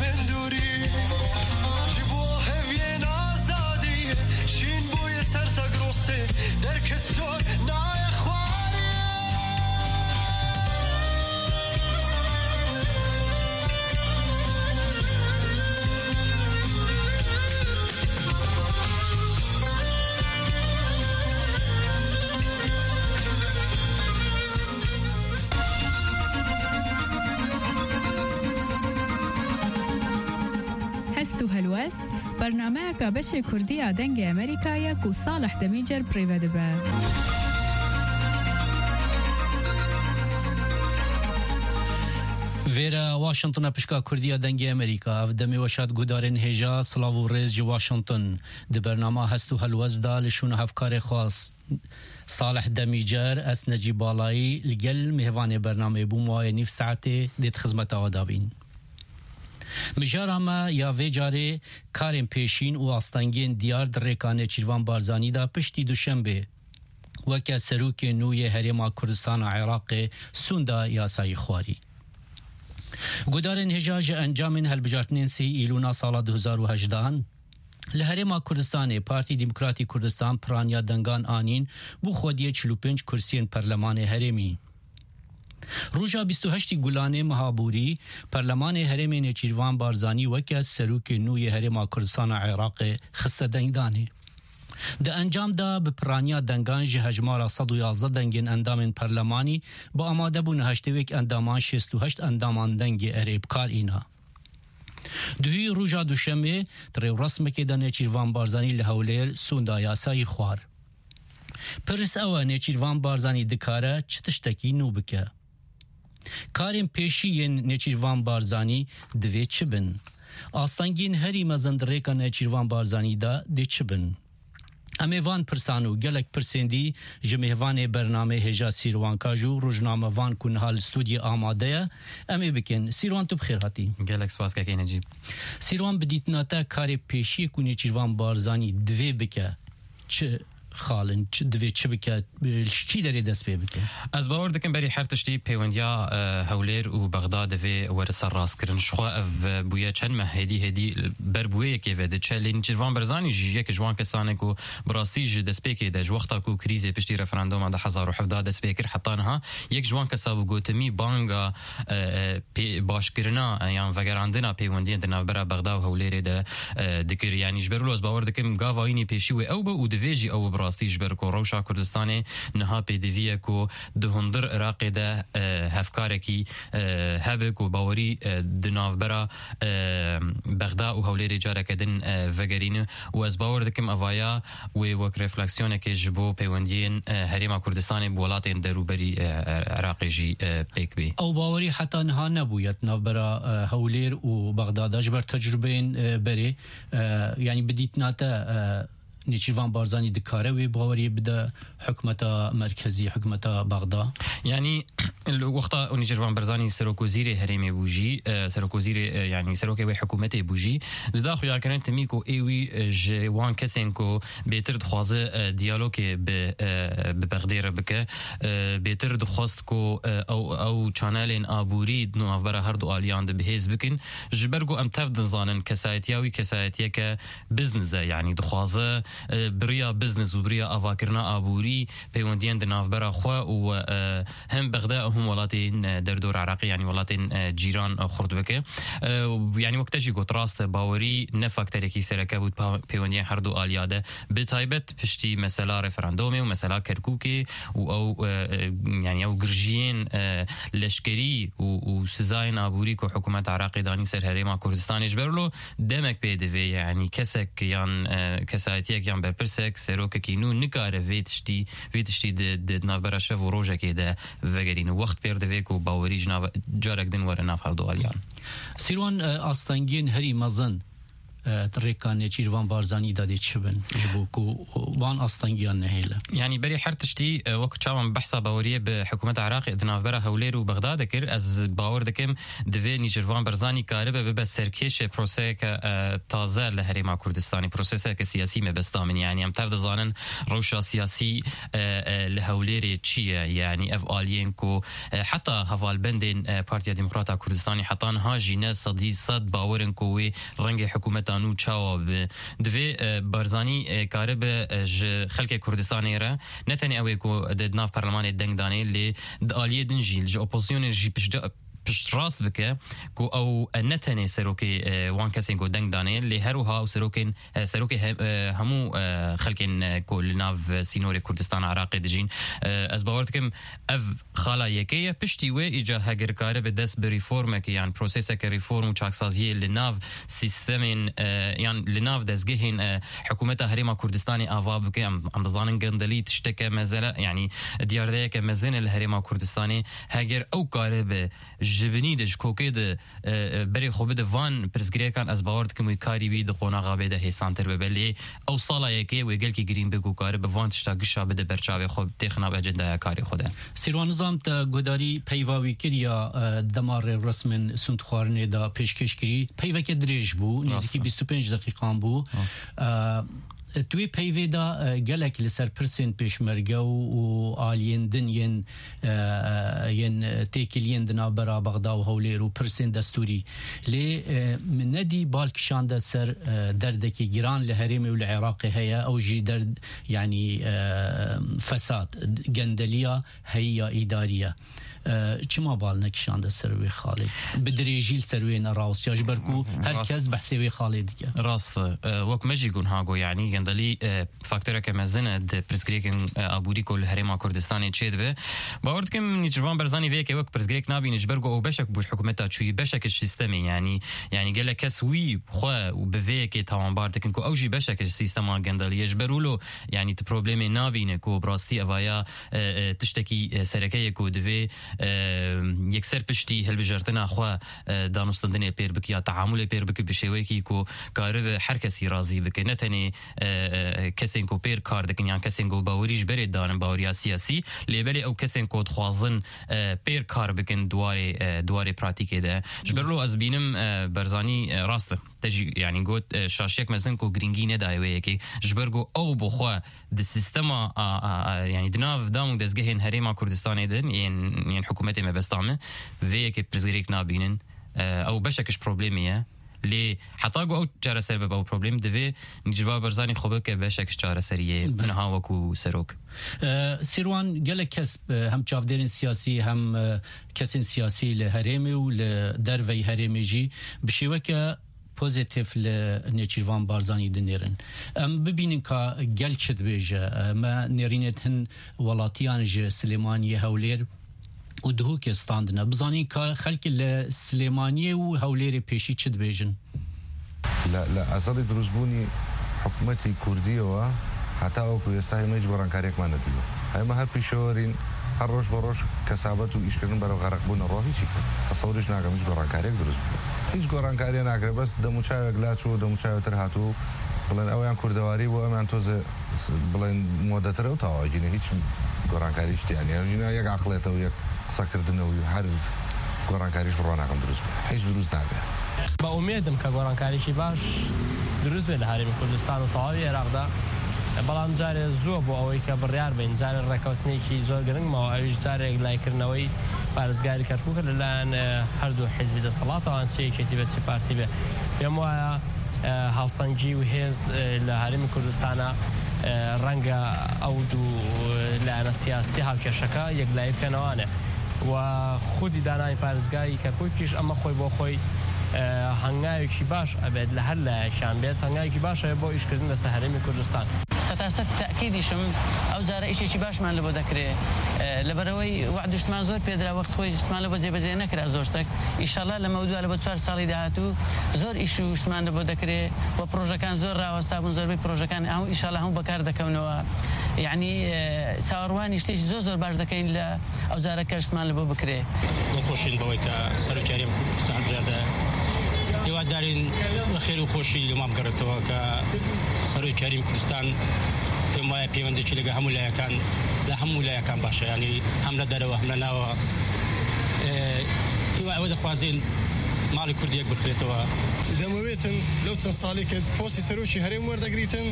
Min dûrî ji bo heviyên azadiyê şîn bûye ser Zagrosê, derket sor naye xwarê. Hest û Helwest, bernameyeka beşê Kurdî ya Dengê Amerîka ye ku Salih Demîcer bi rê ve dibe. Vêre Washington e, pişka Kurdî ya Dengê Amerîka. Ev demê we şad guhdarên hêja, silav û rêz ji Washington. Di bernama Hest û Helwest de li şûna hevkarê xwe Salih Demîcer, ez Necîb Balayî, li gel mêvanê bernameyê bûm, wayê nîv saetê dê di xizmeta we de bîn. Mijara me ya vê carê karên pêşîn û astengiyên diyar di rêka Nêçîrvan Barzanî de piştî Duşembê weke serokê nû yê Herêma Kurdistana Iraqê sûnda yasayî xwarî. Gudarên hêja ji encamên hilbijartinên sê Îlûna sala du hezar û hejdehan, li Herêma Kurdistanê Partî Demokratî Kurdistan piraniya dengan anîn bo xwediyê çil û pênc kursiyên Perlemanê Herêmî. Roja bîst û heştî Gulanê meha borî, Perlemanê Herêmê Nêçîrvan Barzanî weke serokê nû yê Herêma Kurdistana Iraqê xiste dengdanê. Di encam de bi piraniya dengan ji hejmara sed û yazdeh dengên endamên perlemanî, bi amadebûna heştê û yek endaman şêst û heşt endaman dengê erê bi kar îna. Duhî roja Duşemê di rêwresmekê de Nêçîrvan Barzanî li Hewlêr sûnda yasayî xwar. Pirs ew e, Nêçîrvan Barzanî dikare çi tiştekî nû bike? Karên pêşî yên Nêçîrvan Barzanî divê çi bin? Astengiyên herî mezin di rêka Nêçîrvan Barzanî de dê çi bin? Em ê van pirsan û gelek pirsên dî ji mêvanê bernameyê hêja Sîrwan Kaj û rojnamevan ku niha li stûdyê amade ye, em ê bikin. Sîrwan, tu bi xêr hatî. Gelek spas kekê Necîb. Sîrwan, bi dîtina te karê pêşiyê ku Nêçîrvan Barzanî divê bike, çi xal in, çi divê çi bike, ji kî derê dest pê bike? Ez bawer dikim berî her tiştî pêwendiya, e, Hewlêr û Bexda divê were serrastkirin. Ji xwe ev bûye çend meh hêdî hêdî ber bi wê yekê ve diçe. Lê Nêçîrvan Barzanî jî yek ji wan kesan e ku bi rastî ji destpêkê de, ji wexta ku krîzê piştî referanduma du hezar û hevdeh dest pê kir heta niha, yek ji wan kesa bû gotimî banga, e, e, pê-, başkirina, e, yan vegerandina pêwendiyên di navbera Bexda û Hewlêrê de, e, dikir. Yanî ji ber wilo ez bawer dikim gava wî pêşî wê ew be û divê jî ew bi rastî, ji ber ku rewşa Kurdistanê niha pêdivî ye ku di hundir Iraqê de, e, hevkarekî, e, hebe ku bawerî, e, di navbera, e, Bexda û Hewlêrê careke din, e, vegerîne û ez bawer dikim evaya wê wek refleksiyonekê ji bo pêwendiyên, e, Herêma Kurdistanê bi welatên derûberî, e, e, Iraqê jî, e, pêk bê. Ew bawerî heta niha nebûye di navbera, e, Hewlêr û Bexda de ji ber tecrubeyên, e, berê. E, yanî bi dîtina te, e, Nêçîrvan Barzanî dikare wê baweriyê bide hikûmeta merkezî, hikûmeta Bexda? Yanî li wexta Nêçîrvan Barzanî serokwezîrê herêmê bû jî, e, serokwezîrê, e, yanî serokê wê hikûmetê bû jî, dida xuyakirin timî ku ê wî, e, ji wan kesên ku bêtir dixwaze, e, diyalogê bi, e, bi Bexdê re bike, e, bêtir dixwest ku, e, ew, ew çanelên aborî di navbera her du aliyan de bihêz bikin. Ji ber ku em tev dizanin kesayetiya wî kesayetiyeke business e, yanî dixwaze, e, bi riya business û bi riya avakirina aborî peywendiyên di navbera xwe û, e, hem Bexda û hem welatên, e, derdor Iraqê, yanî welatên, e, cîran, e, xurt bike. E, yanî wek te jî got, rast e, bawerî ne faktorekî sereke bû pa-, peywendiya her du aliya de. Bi taybet piştî mesela referandumê û mesela Kerkûkê û ew, e, e, yanî ew girjiyên, e, leşkerî û, û sizayên aborî ku hikûmeta Iraqê danî ser Herêma Kurdistanê, ji ber wilo demek pê divê, yanî kesek yan, e, kesayetiyek yan berpirsek, serokekî nû nikare vê tiştî, vê tiştî di, di navbera şev û rojekê de vegerîne. Wext pêr divê ku bawerî ji nav, carek din were nav her du aliyan. Sîrwan, e, astengiyên herî mezin e, rêka Nêçîrvan Barzanî de dê çi bin ji bo ku wan astengiyan nehêle? Yanî berî her tiştî, e, wek çawan behsa baweriyê bi hikûmeta Iraqê di navbera Hewlêr û Bexdadê kir, ez bawer dikim divê Nêçîrvan Barzanî karibe bibe serkêşê proseyeke, e, taze li Herêma Kurdistanê, proseseke siyasî mebesta min. Yanî em tev dizanin rewşa siyasî, e, e, li Hewlêrê çi ye? Yanî ev aliyên ku, e, heta hevalbendên, e, Partiya Demokrata Kurdistanê heta niha jî ne sedî sed bawer in ku wê rengê hikûmeta nû çawa bibe. Divê, e, Barzanî, e, karibe, e, ji xelkê Kurdistanê re ne tenê ew ê ku di nav perlemanê deng danê, lê di aliyê din jî, ji opozisyonê jî piştca-, piştrast bike ku ew, e, ne tenê serokê, e, wan kesên ku deng danê, lê her wiha ew serokên, e, serokê he-, e, hemû, e, xelkên, e, ku li nav sînorê Kurdistana Iraqê dijîn. E, ez bawer dikim ev xala yekê ye. Piştî wê îca heger karibe dest bi reformekê yan proseseke reform û çaksaziyê li nav sîstemên, e, yan li nav dezgehên, e, hikûmeta Herêma Kurdistanê ava bike. Em, em dizanin gendelî tişteke mezele, yanî diyardeyeke mezin e li Herêma Kurdistanê. Heger ew karibe ji binî de, ji kokê de, e, e, berê xwe bide van pirsgirêkan, ez bawer dikim wê karî wî di qonaxa bê de hêsantir bibe. Lê ew sala yekê wê gelkî girîng be ku karibe van tişta gişa bide ber çavê xwe, têxina bi ecendaya karê xwe de. Sîrwan, nizam te guhdarî peyva wî kir ya, e, dema rêwresmên sûndxwarinê de pêşkêş kirî, peyveke dirêj bû, Rast nêzîkî e. bîst û pênc deqîqan bû. Rast. E, Tu wê peyvê de, e, gelek li ser pirsên pêşmerge û, û aliyên din yên, e, e, yên têkiliyên di navbera Bexda û Hewlêr û pirsên destûrî. Lê, e, min nedî bal kişande ser, e, derdekî giran li herêmê û li Iraqê heye, ew jî derd, yanî, e, fesad, gendeliya heyî ya îdarî ye. E, çima bal nekişande ser wê xalê? Bi dirêjî li ser wê nerawestiya, ji ber ku her Rast. kes behsê wê xalê dike. Rast e. E, wek me jî got niha got, yanî gendelî, e, faktoreke mezin e di pirsgirêkên, e, aborî ku li Herêma Kurdistanê çêdibe. Bawer dikim Nêçîrvan Barzanî vê yekê wek pirsgirêk nabîne, ji ber ku ew beşek bû ji hikûmeta çûyî, beşek ji sîstemê, yanî, yanî gelek kes wî xwe û bi vê yekê tawanbar dikin ku ew jî beşek ji sîstema gendelî ye. Ji ber wilo, yanî tu problemê nabîne ku bi rastî evaya, e, e, tiştekî, e, sereke ye ku divê, e, yekser piştî hilbijartina xwe, e, danûstendinê pêr bike ya teamulê pêr bike bi şêweyekî ku karibe her kesî razî bike. Ne tenê, e, e, kesên ku pêr kar dikin yan kesên ku bawerî ji berê danin baweriya siyasî, lê belê ew kesên ku dixwazin, e, pêr kar bikin di warê, e, di warê pratîkê de. Ji ber lo ez dibînim, e, Barzanî, e, rast e. Te jî, yanî got, e, şaşiyek mezin ku girîngî nedaye wê yekê. Ji ber ku ew bi xwe di sîstema, a, a, a, yanî di nav dam û dezgehên Herêma Kurdistanê de yên, yên hikûmetê mebesta me, vê yekê pirsgirêk nabînin. E, ew beşek ji problemê ye. Lê heta ku ew çareser bibe ew problem, divê Nêçîrvan Barzanî xwe bike beşek ji çareseriyê Belê. niha wekû serok. E, Sîrwan, gelek kes, e, hem çavdêrên siyasî hem, e, kesên siyasî li herêmê û li derveyî herêmê jî bi şêweke pozîtîf li Nêçîrvan Barzanî dinêrin. Em bibînin ka gel çi dibêje. E, me nêrînê di hin welatiyan ji Silêmaniyê, Hewlêr û Duhokê standine. Bizanîn ka xelk li Silêmaniyê û Hewlêrê pêşî çi dibêjin. لە، لە ئەزەڵی دروستبوونی حکومەتی کوردیەوە هەتا وەکو ئێستا ئێمە هیچ گۆڕانکاریەکمان نەدیوە. ئێمە هەر پیشەوەرین، هەر ڕۆژ بە ڕۆژ کەسابەت و ئیشکردن بەرەو غەرقبوونە ڕۆ هیچی کرد. تەسەوریش ناکەم هیچ گۆڕانکاریەک دروست بوو. هیچ گۆڕانکاریە ناکرێت، بەس دەموچاوێک لاچوو، دەموچاوێتر هاتوو، بڵێن ئەویان کوردەواری بۆ ئەمیان تۆزێ س-، بڵێن مۆدەترە و تەواوەگینە هیچ گۆڕانکاری شتیان نیە. ژینا یەک عەقڵێتە و یەک قسەکردنە و هەر گۆڕانکاریش بڕوا ناکەم دروست بێ. هیچ دروست نابێ. بە ئومێدم کە گۆڕانکاریشی باش دروست بێت لە هەرێمی کوردستان و تەواوی عێراقدا. بەڵام جارێ زووە بۆ ئەوەی کە بڕیار بین. جارێ ڕێکەوتنێکی زۆر گرنگمەوە، ئەویش جارێک لایکردنەوەی پارێزگاری کەرکووک لەلایەن، ئە، هەردوو حیزبی دەسەڵاتەوە، چ یەکێتی بێت، چ پارتی بێت. پێم وایە، ئە، هاوسەنگی و هێز، ئە، لە هەرێمی کوردستانە، ئە، ڕەنگە ئەو دوو، ئە، لایەنە سیاسی هاوکێشەکە یەکلایی بکەنەوانێ. و خودی دانانی پارێزگای کەرکووکیش ئەمە خۆی بۆ خۆی، ئە، هەنگاوێکی باش ئەبێت لە هەر لایەکیان بێت، هەنگاوێکی باش ئەبێت بۆ ئیشکردن لەسەر هەرێمی کوردستان. سەتاسەد تەئکیدیشم ئەو جارە ئیشێکی باشمان لە بۆ دەکرێ، ئە، لەبەرەوەی وەعد و شتمان زۆر پێدرا، وەخت خۆی شتمان لە بۆ جێبەجێ نەکرا زۆر شتێک. ئیشەڵا لەمە دووا لە بۆ چوار ساڵی داهاتوو زۆر ئیش و شتمان لە بۆ دەکرێ و پرۆژەکان زۆر ڕاوەستا بوون، زۆربەی پرۆژەکان هەموو ئیشەڵا هەموو بەکار دەکەونەوە. یعنی، ئە، چاوەڕوانی شتێکی زۆر زۆر باش دەکەین لە ئەو جارە کە شتمان لە بۆ بکرێ. دڵخۆشین بەوەی کە سەرۆکی هەرێم سەعد زیادە هیوای دارین بە خێر و خۆشی لەمام گەڕێتەوە کە سەرۆکی هەرێمی کوردستان پێم وایە پەیوەندێکی لەگە هەموو لایەکان، لە هەموو لایەکان باشە، یعنی هەم لە دەرەوە، هەم لە ناوە. ئێ، هیوا ئەوە دەخوازین ماڵی کوردی یەک بکرێتەوە. دەمەوێتن لەو چەند ساڵی کە پۆستی سەرۆکی هەرێم وەردەگریتن،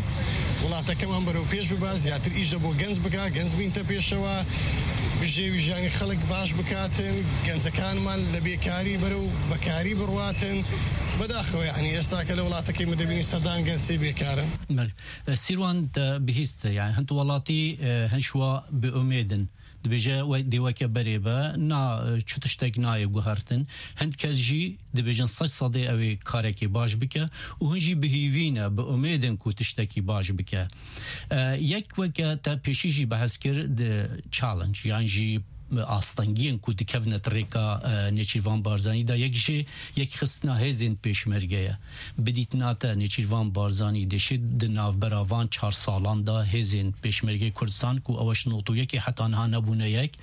وڵاتەکەمان بەرەو پێش ببا، زیاتر ئیشە بۆ گەنج بکا، گەنج بینتە پێشەوە، بژێوی ژیانی خەڵک باش بکاتن، گەنجەکانمان لە بێکاری بەرەو بەکاری بڕواتن. بەداخەوە، یعنی ئێستا کە لە وڵاتەکەی من دەبینی سەدان گەنج سێ بێکارن. Belê. E, Sîrwan te bihîst, yani hin tu welatî, e, hin şwa bi umêd in. Dibêje we dê weke berê be, na, e, çi tiştek nayê guhertin. Hind kes jî dibêjin sed sedê ew ê karekê baş bike û hin jî bi hîvî ne, bi umêd in ku tiştekî baş bike. E, yek weke te pêşî jî behs kir di challenge, yan jî astengiyên ku dikevne di rêka, e, Nêçîrvan Barzanî de, yek jê yekxistina hêzên pêşmerge ye. Bi dîtina te Nêçîrvan Barzanî dê şêt di navbera van çar salan de hêzên pêşmergeyê Kurdistan ku ew ji nod û yekê heta niha nebûne yek,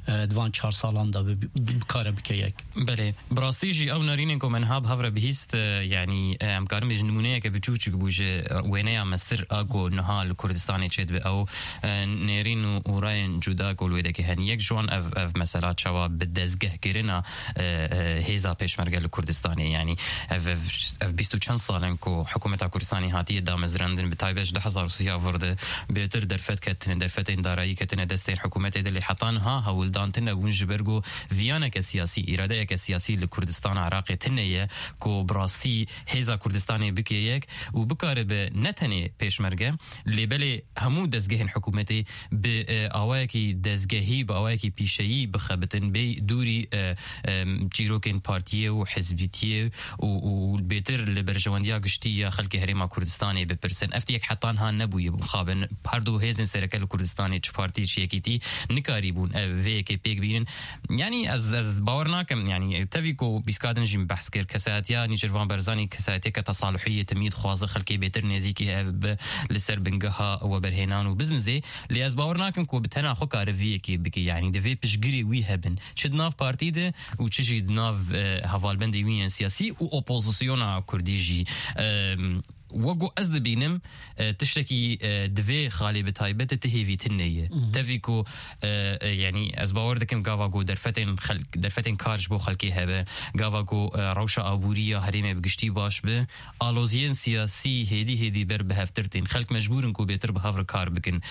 e, di van çar salan de bi-, bi-, bikare bike yek. Belê, bi rastî jî ew nerînên ku me niha bi hev re bihîst, e, yanî, e, em karin bêjin nimûneyeke biçûçik bû ji, e, wêneya mestir a ku niha li Kurdistanê çêdibe. Ew, e, nêrîn û, û rayên cuda ku li wê dekê hene. Yek ji wan ev, ev mesela çawa bi dezgehkirina, e, e, hêza pêşmerge li Kurdistanê. Yanî ev, ev, ev bîst û çend sal in ku hikûmeta Kurdistanê hatiye damezrandin, bi taybet ji du hezar û sêzdeh vir de bêtir derfet ketine, derfetên darayî ketine destên hikûmetê de, lê heta niha hewldan tune bûn ji ber ku viyaneke siyasî, îradeyeke siyasî li Kurdistana Iraqê tune ye ku bi rastî hêza Kurdistanê bike yek û bikaribe ne tenê pêşmerge, lê belê hemû dezgehên hikûmetê bi, e, awayekî dezgehî, bi awayekî pîşeyî bixebitin, bê dûrî, e, e, çîrokên partiyê û hizbîtiyê û, û, û bêtir li berjewendiya giştî ya xelkê Herêma Kurdistanê bipirsin. Ev yek heta niha nebûye, bixabin. Her du hêzên sereke li Kurdistanê, çi partî, çi yekîtî, nikarîbûn ev vê yekê pêk bînin. Yanî ez, ez bawer nakim, yanî tevî ku bîska din jî min behs kir, kesayetiya Nêçîrvan Barzanî kesayetiyeke tesaluhî ye, temî dixwaze xelkê bêtir nêzîkî hev bi li ser bingeha weberhênan û biznizê, lê ez bawer nakim ku bi tena xwe kare vê yekê bike, yanî divê piştgirê wî hebin, çi di nav partî de û çi jî di nav, e, hevalbendê wî yên siyasî û opozisyona kurdî jî. Em, Wek ku ez dibînim, e, tiştekî, e, di vê xalê bi taybet de ti hêvî tune ye. Mhm. Tevî ku, e, e, yanî ez bawer dikim gava ku derfetên xelk, derfetên kar ji bo xelkê hebe, gava ku, e, rewşa aborî ya herêmê bi giştî baş be, aloziyên siyasî hêdî hêdî ber bi hevtir tên. Xelk mecbûr in ku bêtir bi hev re kar bikin.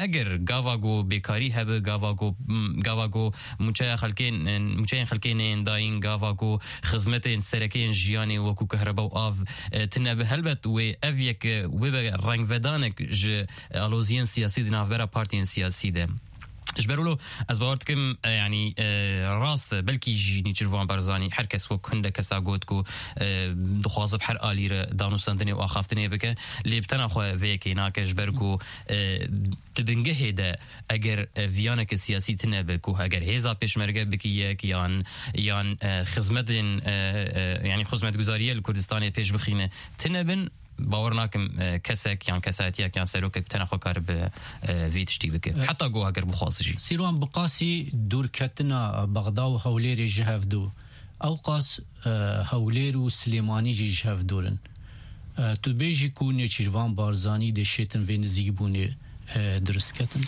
Eger gava ku bêkarî hebe, gava ku, m, gava ku mûçeya xelkên, mûçeyên xelkê neyên dayîn, gava ku xizmetên sereke yên jiyanê wekû kehreba û av, e, tune be, helbet wê ev yek, e, wê be rengvedanek ji aloziyên siyasî di navbera partiyên siyasî de. Ji ber wilo ez bawer dikim, e, yanî, e, rast e, belkî jî Nêçîrvan Barzanî, her kes wek hinde kesa got ku, e, dixwaze bi her alî re danûstandinê û axaftinê bike, lê bi tena xwe vê yekê nake, ji ber ku, e, di bingehê de eger, e, viyaneke siyasî tune be ku eger hêza pêşmerge bikî yek yan, yan, e, xizmetên, e, e, yanî xizmetguzariyê li Kurdistanê pêş bixîne tune bin, bawer nakim, e, kesek yan kesayetiyek yan serokek bi tena xwe karibe, e, vî tiştî bike. E, Heta ku eger bixwaze jî. Sîrwan, bi qasî dûrketina Bexda û Hewlêrê ji hev dû, ew qas, e, Hewlêr û Silêmanî jî ji hev dûr in. E, tu dibêjî ku Nêçîrvan Barzanî dê şêtin vê nizîkbûnê, e, dirust ketin?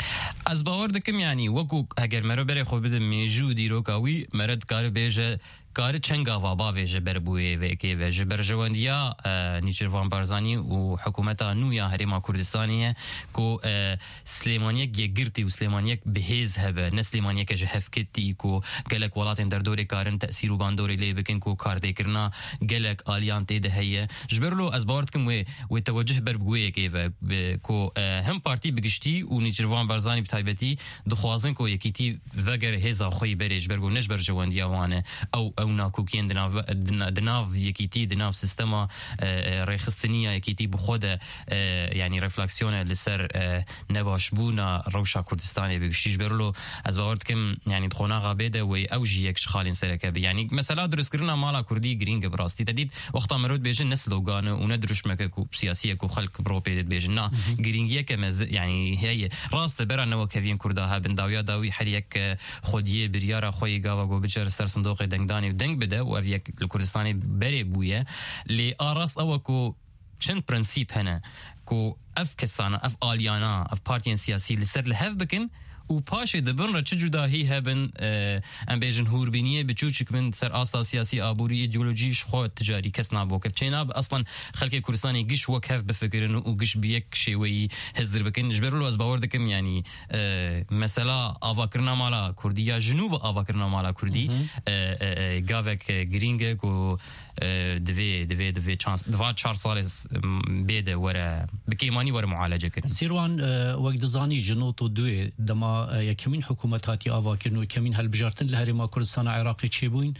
Ez bawer dikim, yanî wekû heger mero berê xwe bide mêjû û dîroka wî, mere dikare bêje, kare çend gava bavêje ber bûyê vê yekê ve. Ji berjewendiya, e, Nêçîrvan Barzanî û hikûmeta nû ya Herêma Kurdistanê ye ku, e, Silêmaniyek yekgirtî û Silêmaniyek bi hêz hebe, ne Silêmaniyeke ji hevketî ku gelek welatên derdorê karin tesîr û bandorê lê bikin, ku kardêkirina gelek aliyan tê de heye. Ji ber lo ez bawer dikim wê, wê tewecih ber bi wê yekê ve, bi, ku, e, him partî bi giştî û Nêçîrvan Barzanî bi taybetî dixwazin ku yekîtî veger hêza xwe yî berê, ji ber ku ne ji berjewendiya wan e. Ew, ew nakokiyên di nav, di na-, di nav yekîtî, di nav sistema, e, e, rêxistinî ya yekîtî bi xwe de, e, yanî refleksiyone li ser, e, nebaşbûna rewşa Kurdistanê bi giştî. Ji ber wilo ez bawer dikim, yanî di qonaxa bê de wê ew jî yek ji xalên sereke be. Yanî mesela dirustkirina mala kurdî girîng e bi rastî. Te dît wexta meriv dibêje ne slogan e û ne diruşmeke ku siyasî ye ku xelk bi ro pê dibêjin. Na, Mhm. girîngiyeke mez-, yanî heye. Rast e, bera newekeviyên kurda hebin. Dawiya dawî her yek, e, xwediyê biryara xwe yê gava ku biçe ser sindoqê dengdanê deng bide û ev yek li Kurdistanê berê bûye. Lê a rast ew e ku çend prensîp hene ku ev kesana, ev aliyana, ev partiyên siyasî li ser li hev bikin û paşê di bin re çi cudahî hebin, e, em bêjin hûrbîniyê biçûçik bin ser asta siyasî, aborî, îdeolojî ji xwe ticarî kes naboke. Çênabe eslan xelkê Kurdistanê giş wek hev bifikirin û giş bi yek şêweyî hizir bikin. Ji ber wilo ez bawer dikim, yanî, e, mesela avakirina mala Kurdî ya ji nû ve avakirina mala Kurdî, e, e, e, gavek, e, girîng e ku, e, divê, divê, divê çar, di va çar salê s-, m, bê de were, bi kêmanî were mualece kirin. Sîrwan, e, wek dizanî ji not û duyê dema, e, yekemîn hikûmet hatiye avakirin û yekemîn hilbijartin li Herêma Kurdistana Iraqê çêbûyîn,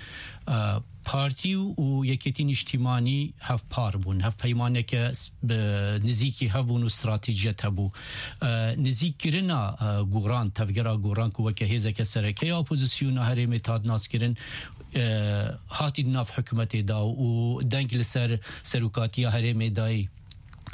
e, partî û Yekêtî Nîştîmanî hevpar bûn. Hevpeymaneke s-, bi nizîkî hev bûn û stratejiyet hebû. E, nizîkkirina, e, Goran, tevgera Goran ku weke hêzeke sereke ya opozisyona herêmê hat naskirin, e, hatî di nav hikûmetê de û deng li ser serokatiya herêmê dayî.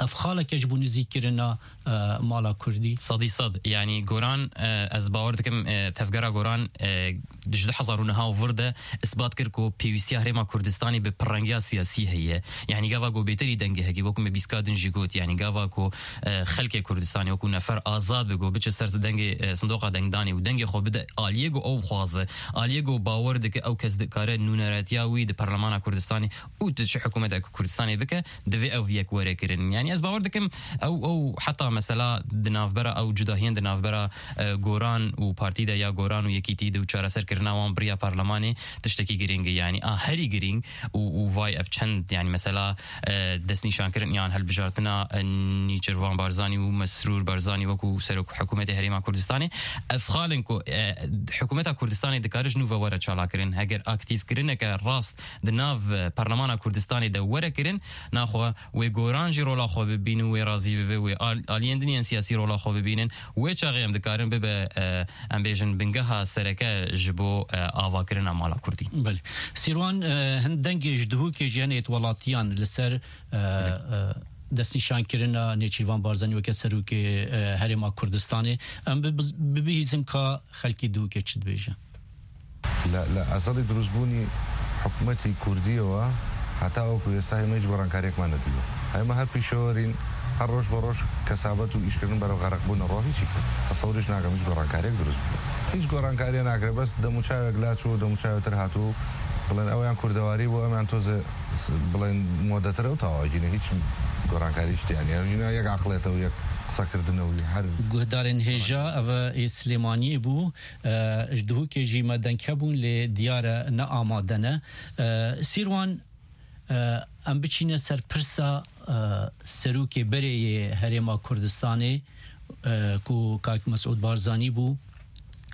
Ev xaleke ji bo nizîkkirina, e, mala Kurdî. Sedî sed. Yanî Goran, e, ez bawer dikim, e, tevgera Goran, e, ji du hezar û neh û vir de isbat kir ku pêwîstiya Herêma Kurdistanê bi pirrengiya siyasî heye. Yanî gava ku bêterî dengê hekî, wekû me bîska din jî got, yanî gava ku, e, xelkê Kurdistanê wekû nefer azad be, ku biçe ser dengê, e, sindoqa dengdanê û dengê xwe bide aliyê ku ew xwaze, aliyê ku bawer dike ew kes dikare nûneratiya wî di Parlemana Kurdistanê û tu çi hikûmeteke Kurdistanê bike, divê ev yek were kirin. Yanî ez bawer dikim ew, ew heta mesela di navbera ew cudahiyên di navbera, e, Goran û partî de ya Goran û Yekîtî de û çareserkirina wan bi riya parlemanê tiştekî girîng e. Yanî a herî girîng û, û vay ev çend, yanî mesela, e, destnîşankirin yan hilbijartina, e, Nîçirvan Barzanî û Mesrûr Barzanî wekû serok hikûmetê Herêma Kurdistanê, ev xal in ku, e, hikûmeta Kurdistanê dikare ji nû ve were çalakirin. Heger aktîfkirineke rast di nav, e, Parlemana Kurdistanê de were kirin, naxwe wê Goran jî rola xwe bibînin, wê razî bibe, wê al-, aliyên din yên siyasî rola xwe bibînin. Wê çaxê em dikarin bibe, e, em bêjin bingeha sereke ji bo, e, avakirina mala Kurdî. Belê. Sîrwan, e, hin dengê ji Duhokê jî hene yêt welatiyan li ser, e, Belê. e, destnîşankirina Nêçîrvan Barzanî weke serokê, e, Herêma Kurdistanê. Em bi-, bibihîzin ka xelkê Duhokê çi dibêje. لە، لە ئەزەڵی دروستبوونی حکومەتی کوردیەوە هەتا وەکو ئێستا ئێمە هیچ گۆڕانکاریەکمان نەدیوە. ئێمە هەر پیشەوەرین، هەر ڕۆژ بە ڕۆژ کەسابەت و ئیشکردن بەرەو غەرقبوونەڕۆ، هیچی تر تەسەوریش ناکەم هیچ گۆڕانکاریەک دروست بوو. هیچ گۆڕانکاریە ناکرێت، بەس دەموچاوێک لاچوو، دەموچاوێتر هاتوو، بڵێن ئەویان کوردەواری بوو، ئەمیان تۆزێ س-، بڵێن مۆدەترە و تەواوەجینە، هیچ گۆڕانکاری شتیان نیە. ژینە یەک عەقڵێتە و یەک قسەکردنە و هەر Guhdarên hêja, ev ê Silêmaniyê bû. E, ji Duhokê jî me deng hebûn, lê diyar e ne amade ne. E, Sîrwan, e, em biçîne ser pirsa, e, serokê berê yê Herêma Kurdistanê, e, ku Kak Mesûd Barzanî bû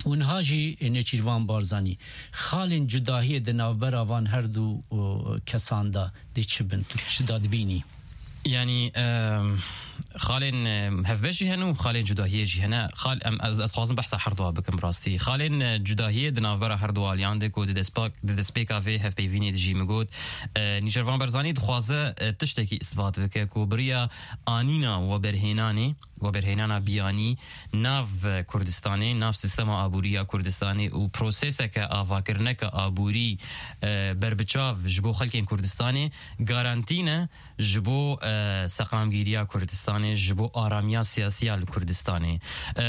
û niha jî Nêçîrvan Barzanî. Xalên cudahiyê di navbera van her du, e, kesan de dê çi bin? Tu çi da dibînî? Yanî, em, xalên, em, hevbeş jî hene û xalên cudahiyê jî hene. Xal, em, ez, ez dixwazim behsa herduwa bikim bi rastî. Xalên, e, cudahiyê di navbera herdu aliyan de ku di destpak-, di destpêka vê hevpeyvînê de jî min got, e, Nîçirvan Barzanî dixwaze, e, tiştekî isbat bike ku bi riya anîna weberhênanê, weberhênana biyanî nav Kurdistanê, nav sîstema aborî ya Kurdistanê û proseseke avakirineke aborî, e, berbiçav ji bo xelkên Kurdistanê garantî ne ji bo, e, seqamgîriya Kurdistanê, ji bo aramiya siyasî ya li Kurdistanê. E,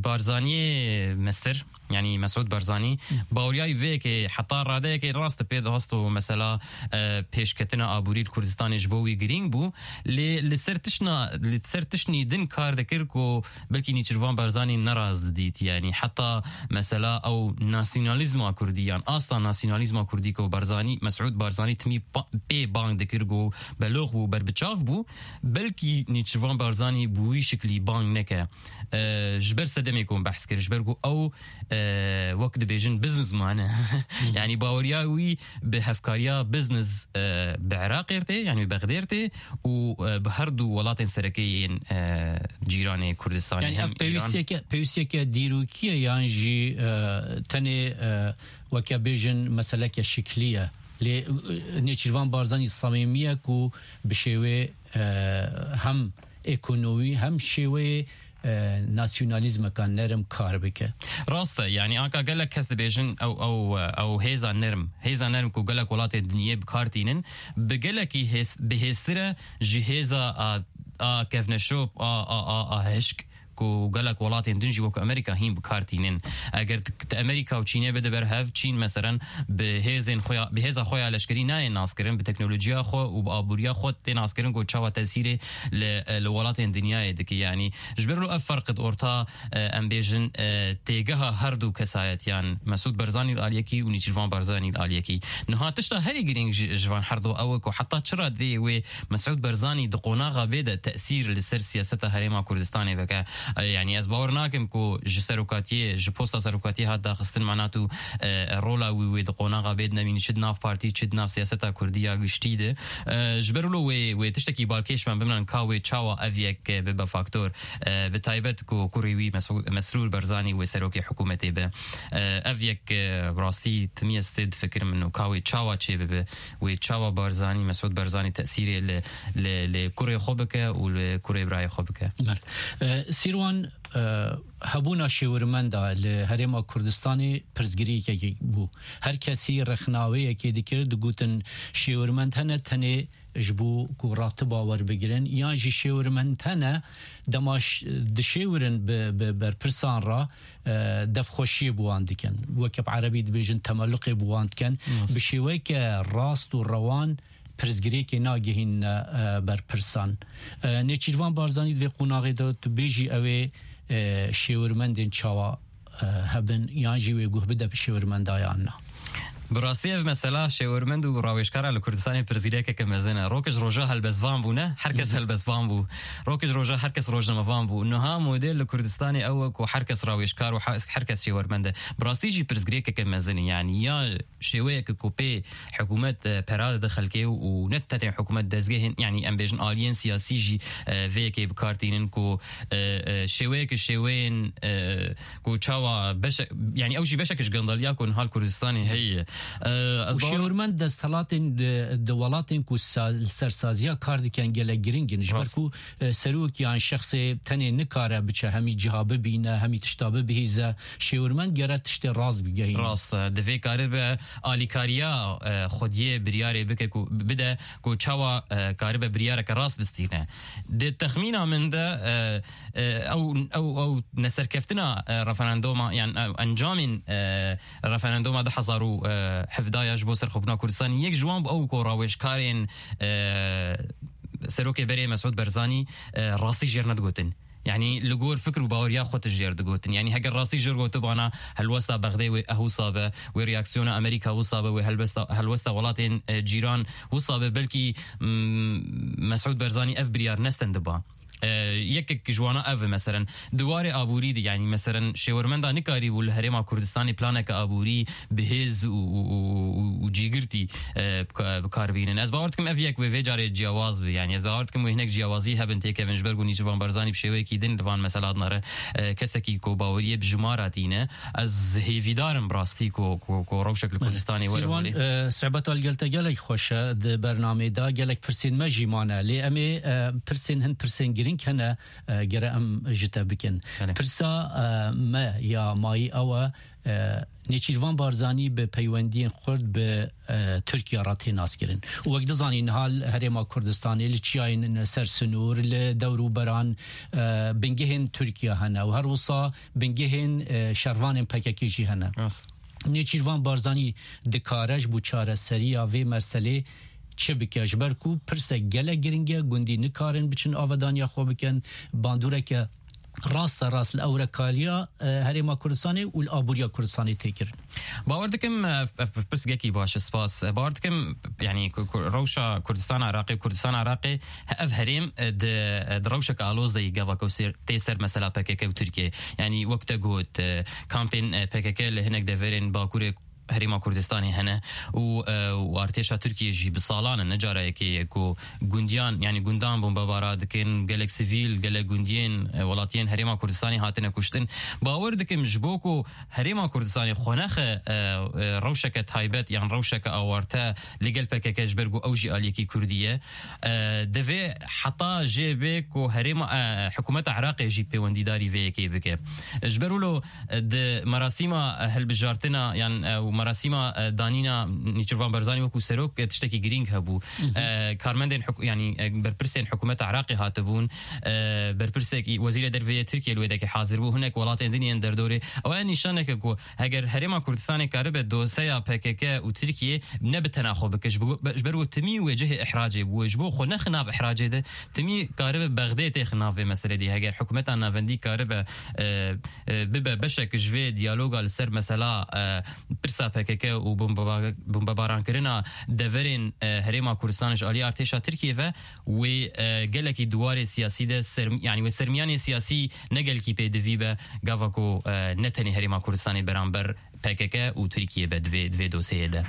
Barzaniyê mestir, yanî Mesûd Barzanî, Hı. baweriya wî vê yekê heta radeyekê rast pê dihast û mesela, e, pêşketina aborî li Kurdistanê ji bo wî girîng bû. Lê li ser tişna, li ser tiştnî din kar dikir ku belkî Nîçirvan Barzanî neraz didît. Yanî heta mesela ew nasyonalîzma kurdî yan asta nasyonalîzma kurdî ku Barzanî, Mesûd Barzanî timî pa-, pê bang dikir ku belox bû, berbiçav bû, belkî Nîçirvan Barzanî bi wî şiklî bang neke. E, ji ber sedemê ku behs kir, ji ber ku ew, e, wek dibêjin businessman e. Hı. Yanî baweriya wî bi hevkariya business, e, bi Iraqê re tê, yanî bi Bexdê re tê û, e, bi her du welatên sereke yên, e, cîranê Kurdistanê, Yanî hem ev pêwîstiyeke, Îran. Pêwîstiyeke dîrokî ye yan jî, e, tenê, e, weke bêjin meseleke şiklî ye. Lê, e, Nêçîrvan Barzanî samîmî ye ku bi şêwê, e, hem ekonomî hem şêweyê e, nasyonalîzmeka nerm kar bike. Rast e, yanî anka gelek kes dibêjin ew, ew, ew hêza nerm, hêza nerm ku gelek welatên dinyê bi kar tînin, bi gelekî hêz-, bi hêztir e ji hêza a, a kevneşop, a, a, a, a hişk ku gelek welatên din jî wek Amerîka hîn bi kar tînin. Eger tu, tu Amerîka û Çînê bide ber hev, Çîn meselen bi hêzên xwe ya, bi hêza xwe ya leşkerî nayê naskirin, bi teknolojiya xwe û bi aboriya xwe tê naskirin ku çawa tesîrê li, li welatên dinyayê dike. Yanî ji ber wilo ev ferq di orta, e, em bêjin, e, têgeha her du kesayetiyan, Mesûd Barzanî li aliyekî û Nêçîrvan Barzanî li aliyekî. Niha tişta herî girîng ji, ji van her du ew e ku heta çi radeyê wê Mesûd Barzanî di qonaxa vê de tesîr li ser siyaseta Herêma Kurdistanê veke. E, yanî ez bawer nakim ku ji serokatiyê, ji posta serokatiyê hat daxistin, mana tu, e, rola wî wê di qonaxa vê de nemînî, çi di nav partî, çi di nav siyaseta kurdî ya giştî de. E, ji ber wilo wê, wê tiştekî balkêş me bimran ka wê çawa ev yek, e, bibe faktor. E, bi taybet ku kurê wî Mesû-, Mesrûr Barzanî wê serokê hikûmetê be. E, ev yek, e, rastî timî ez tê difikirim min û ka wê çawa çê bibe, wê çawa Barzanî, Mesûd Barzanî tesîrê li, li, li kurê xwe bike û li kurê birayê xwe bike. Bel. E, Sîrwan, e, hebûna şêwirmenda li Herêma Kurdistanê pirsgirêkekê bû. Her kesî rexnaweyekê dikir, digotin şêwirmend hene tenê ji bo ku ratiba werbigirin, yan jî şêwirmend hene dema ş-, dişêwirin bi, bi berpirsan re, e, devxweşiyê bi wan dikin. Weke bi erebî dibêjin temelluqê bi wan dikin. Rast. Bi şêweyeke rast û rewan pirsgirêkê nagihînine, e, berpirsan. E, Nêçîrvan Barzanî di vê qonaxê de tu bêjî ew ê, e, şêwirmendên çawa, e, hebin, yan jî wê guh bide bi şêwirmenda yan na? Bi rastî ev mesela şêwirmend û rawêjkara li Kurdistanê pirsgirêkeke mezin e. Rok ji roja helbestvan bûne, her kes Hı hı. helbestvan bû. Rok ji roja her kes rojnamevan bû. Niha model li Kurdistanê ew e ku her kes rawêjkar û her, her kes şêwirmend e. Bi rastî jî pirsgirêkeke mezin e. Yanî ya şêweyeke ku pê hikûmet, e, pera dide xelkê û, û ne tenê hikûmet, dezgehên, yanî em bêjin aliyên siyasî jî, e, vê yekê bi kar tînin ku, e, e, şêweyeke şêweyên, e, ku çawa beşe-, yanî ew jî beşek ji gandaliya ku niha li Kurdistanê heye. E, ez Û bawer şêwirmend desthilatên di, di welatên ku sa-, li ser saziya kar dikin gelek giring in. Ji ber Rast. ku, e, serok yan şexsê tenê nikare biçe hemî ciha bibîne, hemî tişta bibihîze. Şêwirmend gere tiştê rast bigehîne. Rast e. Divê karibe alîkariya, e, xwediyê biryarê bike ku, bide ku çawa, e, karibe biryareke rast bistîne. Di texmîna min de, e, e, ew, ew, ew neserkeftina, e, referandoma, yan ew encamên, e, referandoma du hezar û hevdeh ya ji bo serxwebûna Kurdistanê, yek ji wan bû ew ku rawêjkarên, e, serokê berê Mesûd Barzanî, e, rastî jêr nedigotin. Yanî li gor fikir û baweriya xwe tişt jêr digotin. Yanî heger rastî jêr gotibana, helwesta Bexdê wê eh wisa be, wê reaksiyona Amerîka wisa be, wê helbesta, helwesta welatên, e, cîran wisa be, belkî, mm, Mesûd Barzanî ev biryar nestendiba. E, yekek ji wana ev e, meselen, di warê aborî de, yanî, meselen, şêwermenda nikarîbû li Herêma Kurdistanê planeke aborî bi hêz û, û, û, û, û cîgirtî, e, bi ka-, bi kar bînin. Ez bawer dikim ev yek wê vê carê ciyawaz be. Yanî ez bawer dikim wê hinek ciyawazî hebin, têkevin, ji ber ku Nêçîrvan Barzanî bi şêweyekî din li van mesela dinare, e, kesekî ku baweriyê bi jimara tîne. Ez hêvîdar im bi rastî ku, ku, ku rewşek li Belê. Kurdistanê were Sîrwan, holê. E, sohbeta li gel te gelek xweş e. Di bernamê de gelek pirsên me jî mane. Lê em ê, e, pirsên, hin pirsên girîng hene, e, gere em ji te bikin. Belê. Pirsa, e, me ya mayî ew e, e, Nêçîrvan Barzanî bi peywendiyên xurt bi, e, Tirkiye re tê naskirin. Û wek dizanîn, niha li Herêma Kurdistanê, li çiyayên ser sinûr, li dewrûberan, e, bingehên Tirkiye hene û her wisa bingehên, e, şervanên P K K jî hene. Rast. Nêçîrvan Barzanî dikare ji bo çareseriya vê meselê çi bike? Ji ber ku pirsek gelek giring e, gundî nikarin biçin avedaniya xwe bikin, bandoreke raste rast li ewrekaliya, e, Herêma Kurdistanê û li aboriya Kurdistanê tê kirin. Bawer dikim, e, ev, ev pirsgekî baş e, spas. E, bawer dikim, yanî ku, ku rewşa Kurdistan Iraqê, Kurdistan Iraqê, ev herêm, e, di, e, di rewşeke aloz de yî gava ku ser, tê ser mesela P K K û Tirkiye. Yanî wek te got, e, kampên, e, P K K li hinek deverên Bakurê Herêma Kurdistanê hene û, e, û artêşa Tirkiyê jî bi salan e, ne cara yekê ye ku gundiyan, yanî gundan bombebara dikin, gelek sivîl, gelek gundiyên, e, welatiyên Herêma Kurdistanê hatine kuştin. Bawer dikim ji bo ku Herêma Kurdistanê xwe nexe, e, e, rewşeke taybet yan rewşeke awarte li gel P K K ji ber ku ew jî aliyekî Kurdî ye. E, divê heta jê bê ku herêma, e, hikûmeta Iraqê jî pêwendîdarî vê yekê bike. Ji ber wilo, e, di merasîma hilbijartina yan, e, û merasîma, e, danîna Nêçîrvan Barzanî wekû serok, e, tiştekî girîng hebû. E, karmendên hik-, yanî, e, berpirsên hikûmeta Iraqê hatibûn, e, berpirsek, wezîrê derve yê Tirkiyê li wê dekê hazir bû, hinek welatên din yên derdorê. Ew e nîşaneke ku heger Herêma Kurdistanê karibe doseya P K K û Tirkiyê ne bi tena xwe bike, ji bo, ji ber ku timî wê cihê ihracê bû, ji bo xwe nexi nav ihracê de, timî karibe Bexdê têxi nav vê meselê de. Heger hikûmeta navendî karibe, e, e, bibe beşek ji vê diyaloga li ser mesela, e, pirsa P K K û bombe-, bombebaran kirina deverên, e, Herêma Kurdistan ji alî artêşa Tirkiyê ve, wê, e, gelekî di warê siyasî de serm-, yanî wê sermiyanê siyasî ne gelkî pêdivî be, gava ku, e, ne tenê Herêma Kurdistanê beramber P K K û Tirkiye be di vê, di vê dosyeyê de.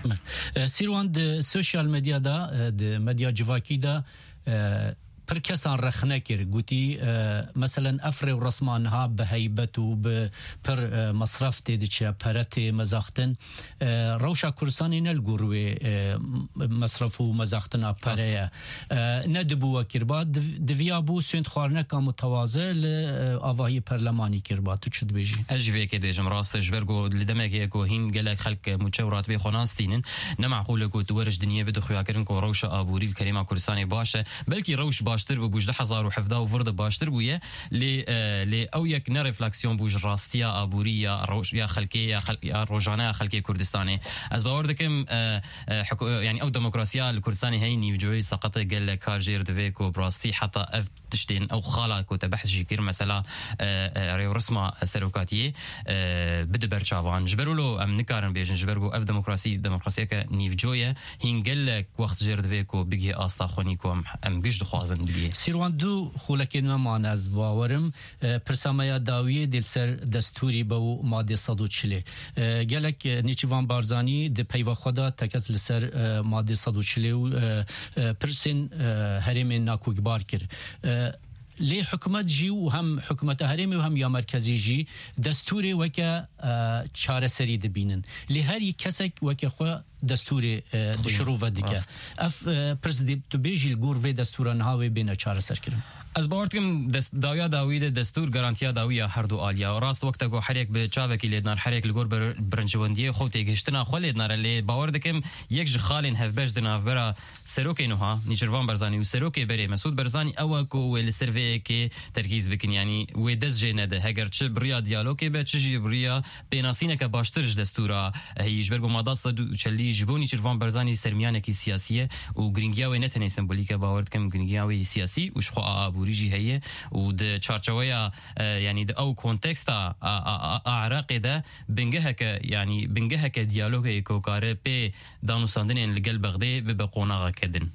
E, Sîrwan, di sosyal medyada, e, di medya civakî de, e, pir kesan rexne kir. Gotî, e, meselen, ev rêwresma niha bi heybet û bi pir, e, mesref tê diçe, pere tê mezaxtin. E, rewşa Kurdistanê ne li gor wê, e, m-, mesref û mezaxtina pere ye. E, ne dibû wekirba, div-, diviya bû sûnd xwarineka mutawaze li, e, avahiyê perlemanî kirba. Tu çi dibêjî? Ez jî vê yekê dibêjim, rast e, ji ber ku li demekê ku hîn gelek xelk mûçe û ratibê xwe nastînin, ne meqûl e ku tu weriş dinyê bide xuyakirin ku rewşa aborî li Herêma Kurdistanê baş e. Belkî rewş baştir bû, bû ji du hezar û hevdeh û vir de baştir bûye, lê, e, lê ew yek ne refleksiyon bû ji rastiya aborî ya rewş-, ya xelkê, ya xel-, ya rojane ya xelkê Kurdistanê. Ez bawer dikim, e, e, hiku-, yanî ew demokrasiya li Kurdistanê heyî nîvcoyî seqet e, gelek kar jêr divê ku bi rastî heta ev tiştên ew xala ku te behs jî kir, mesela, e, e, rêwresma serokatiyê, e, bide ber çavan. Ji ber wilo em nikarin bêjin, ji ber ku ev demokrasî, demokrasiyeke nîvco ye, hîn gelek wext jêr divê ku bigihê asta xwenî ku em, em giş dixwazin bigihê. Sîrwan, du xulekên me mane, ez bawerim. E, pirsa me ya dawiyê dê li ser destûrî be û madê sed û çilê. E, gelek, e, Nêçîrvan Barzanî di peyva xwe de tekez li ser, e, madê sed û çilê û, e, e, pirsên, e, herêmên nakokbar kir. E, lê hikûmet jî û hem hikûmeta herêmê û hem ya merkezî jî destûrê weke, e, çareserî dibînin. Lê herî kesek weke xwe destûrê, e, dişirove dike. Rast. Ev, e, pirs dê tu bêjî li gor vê destûra niha wê bêne çareserkirin? Ez bawer dikim dest-, dawiya dawî de destûr garantiya dawî ya her du aliya. Rast wekte ku herek bi çavekî lêdnar, herek li gor ber-, birincewendiyê xwe û têgihiştina xwe lêdnar e, lê bawer dikim yek ji xalên hevbeş di navbera serokê nuha, Nîçirvan Barzanî û serokê berê Mesûd Barzanî ew e ku wê li ser vê yekê terkîz bikin, yanî wê dest jê nede. Heger çi bi riya diyalogê be, çi jî bi riya pênasîneke baştir ji destûra heyî. Ji ber ku mada sed û çelî ji bo Nîçirvan Barzanî sermiyanekî siyasî ye û giringiya wê ne tenê sembolîk e, bawer dikim giringiya wê yî siyasî û ji xwe a aborî jî heye û di çarçeweya, e, yanî di ew konteksta a, a, a, a Iraqê de bingeheke, yanî bingeheke diyalogê ku kare pê danûstandinên li gel Bexdê bibe qonaxeke din.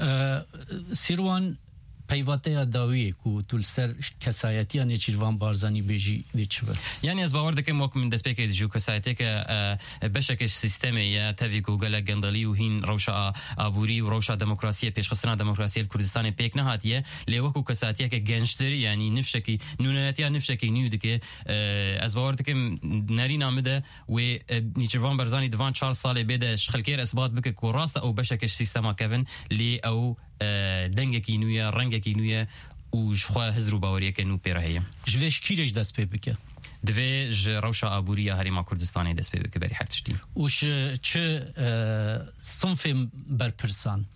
E, Sîrwan, peyvateya dawiyê ku tu li ser kesayetiya Nêçîrvan Barzanî bêjî dê çi be? Yanî ez bawer dikim wek min destpêkê dijî û kesayeteke, e, beşeke ji sîstemê ye, tevî ku gelek gendelî û hîn rewşa a-, aborî û rewşa demokrasiyê, pêşxistina demokrasiyê li Kurdistanê pêk nehatiye, lê wekû kesayetiyeke gençtir, yanî nifşekî, nûneretiya nifşekî nû dike. E, ez bawer dikim nerîna min de wê, e, Nîçirvan Barzanî di van çar salê bê de ji xelkê re isbat bike ku rast e ew beşeke ji sîstema kevin, lê ew, e, dengekî nû ye, rengekî nû ye û ji xwe hizr û baweriyeke nû pê re heye. Ji vê ji kî re jî dest pê bike? Divê ji rewşa aborî ya Herêma Kurdistanê dest pê bike berî her tiştî. Û ji çi, e, sinfên berpirsan?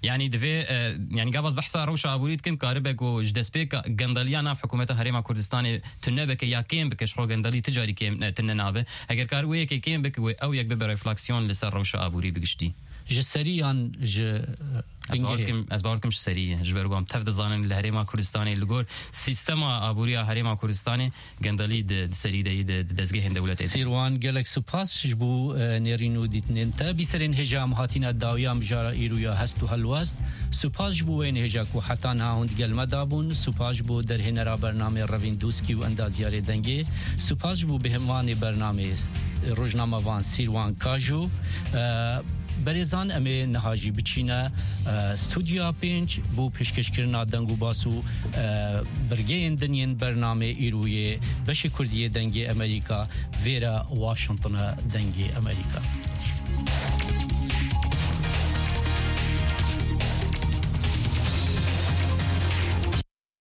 Yanî divê, e, yanî gava ez behsa rewşa aborî dikim, karibe ku ji destpêka gendeliya nav hikûmeta Herêma Kurdistanê tune bike ya kêm bike, ji xwe gendelî ti carî kêm, e, tune nabe. Heger kar wê yekê kêm bike, wê ew yek bibe refleksiyon li ser rewşa aborî bi giştî. Ji serî yan ji, e, Ez bawer bingehê? dikim, ez bawer dikim ji serî ye. Ji ber ku em tev dizanin li Herêma Kurdistanê li gor sîstema aboriya Herêma Kurdistanê gendelî di, di serî de yî, di, di dezgehên dewletê de. Sîrwan, gelek spas ji bo, e, nêrîn û dîtinên te. Bîserên hêja em hatine dawiya mijara îro ya hest û helwest. Spas ji bo wê nêja ku heta niha hûn digel me dabûn. Spas ji bo derhênera bernamê Revîn Dûskî û endaziyarê dengê. Spas ji bo bêhemvanê bernamê, rojnamevan Sîrwan Kajo. E, Berêzan, em ê niha jî biçîne, e, Studyoya pênc bo pêşkêşkirina deng û bas û, e, birgeyên din yên bernamê îro yê beşê Kurdî yê Dengê Amerîka, vêre Washington e, Dengê Amerîka.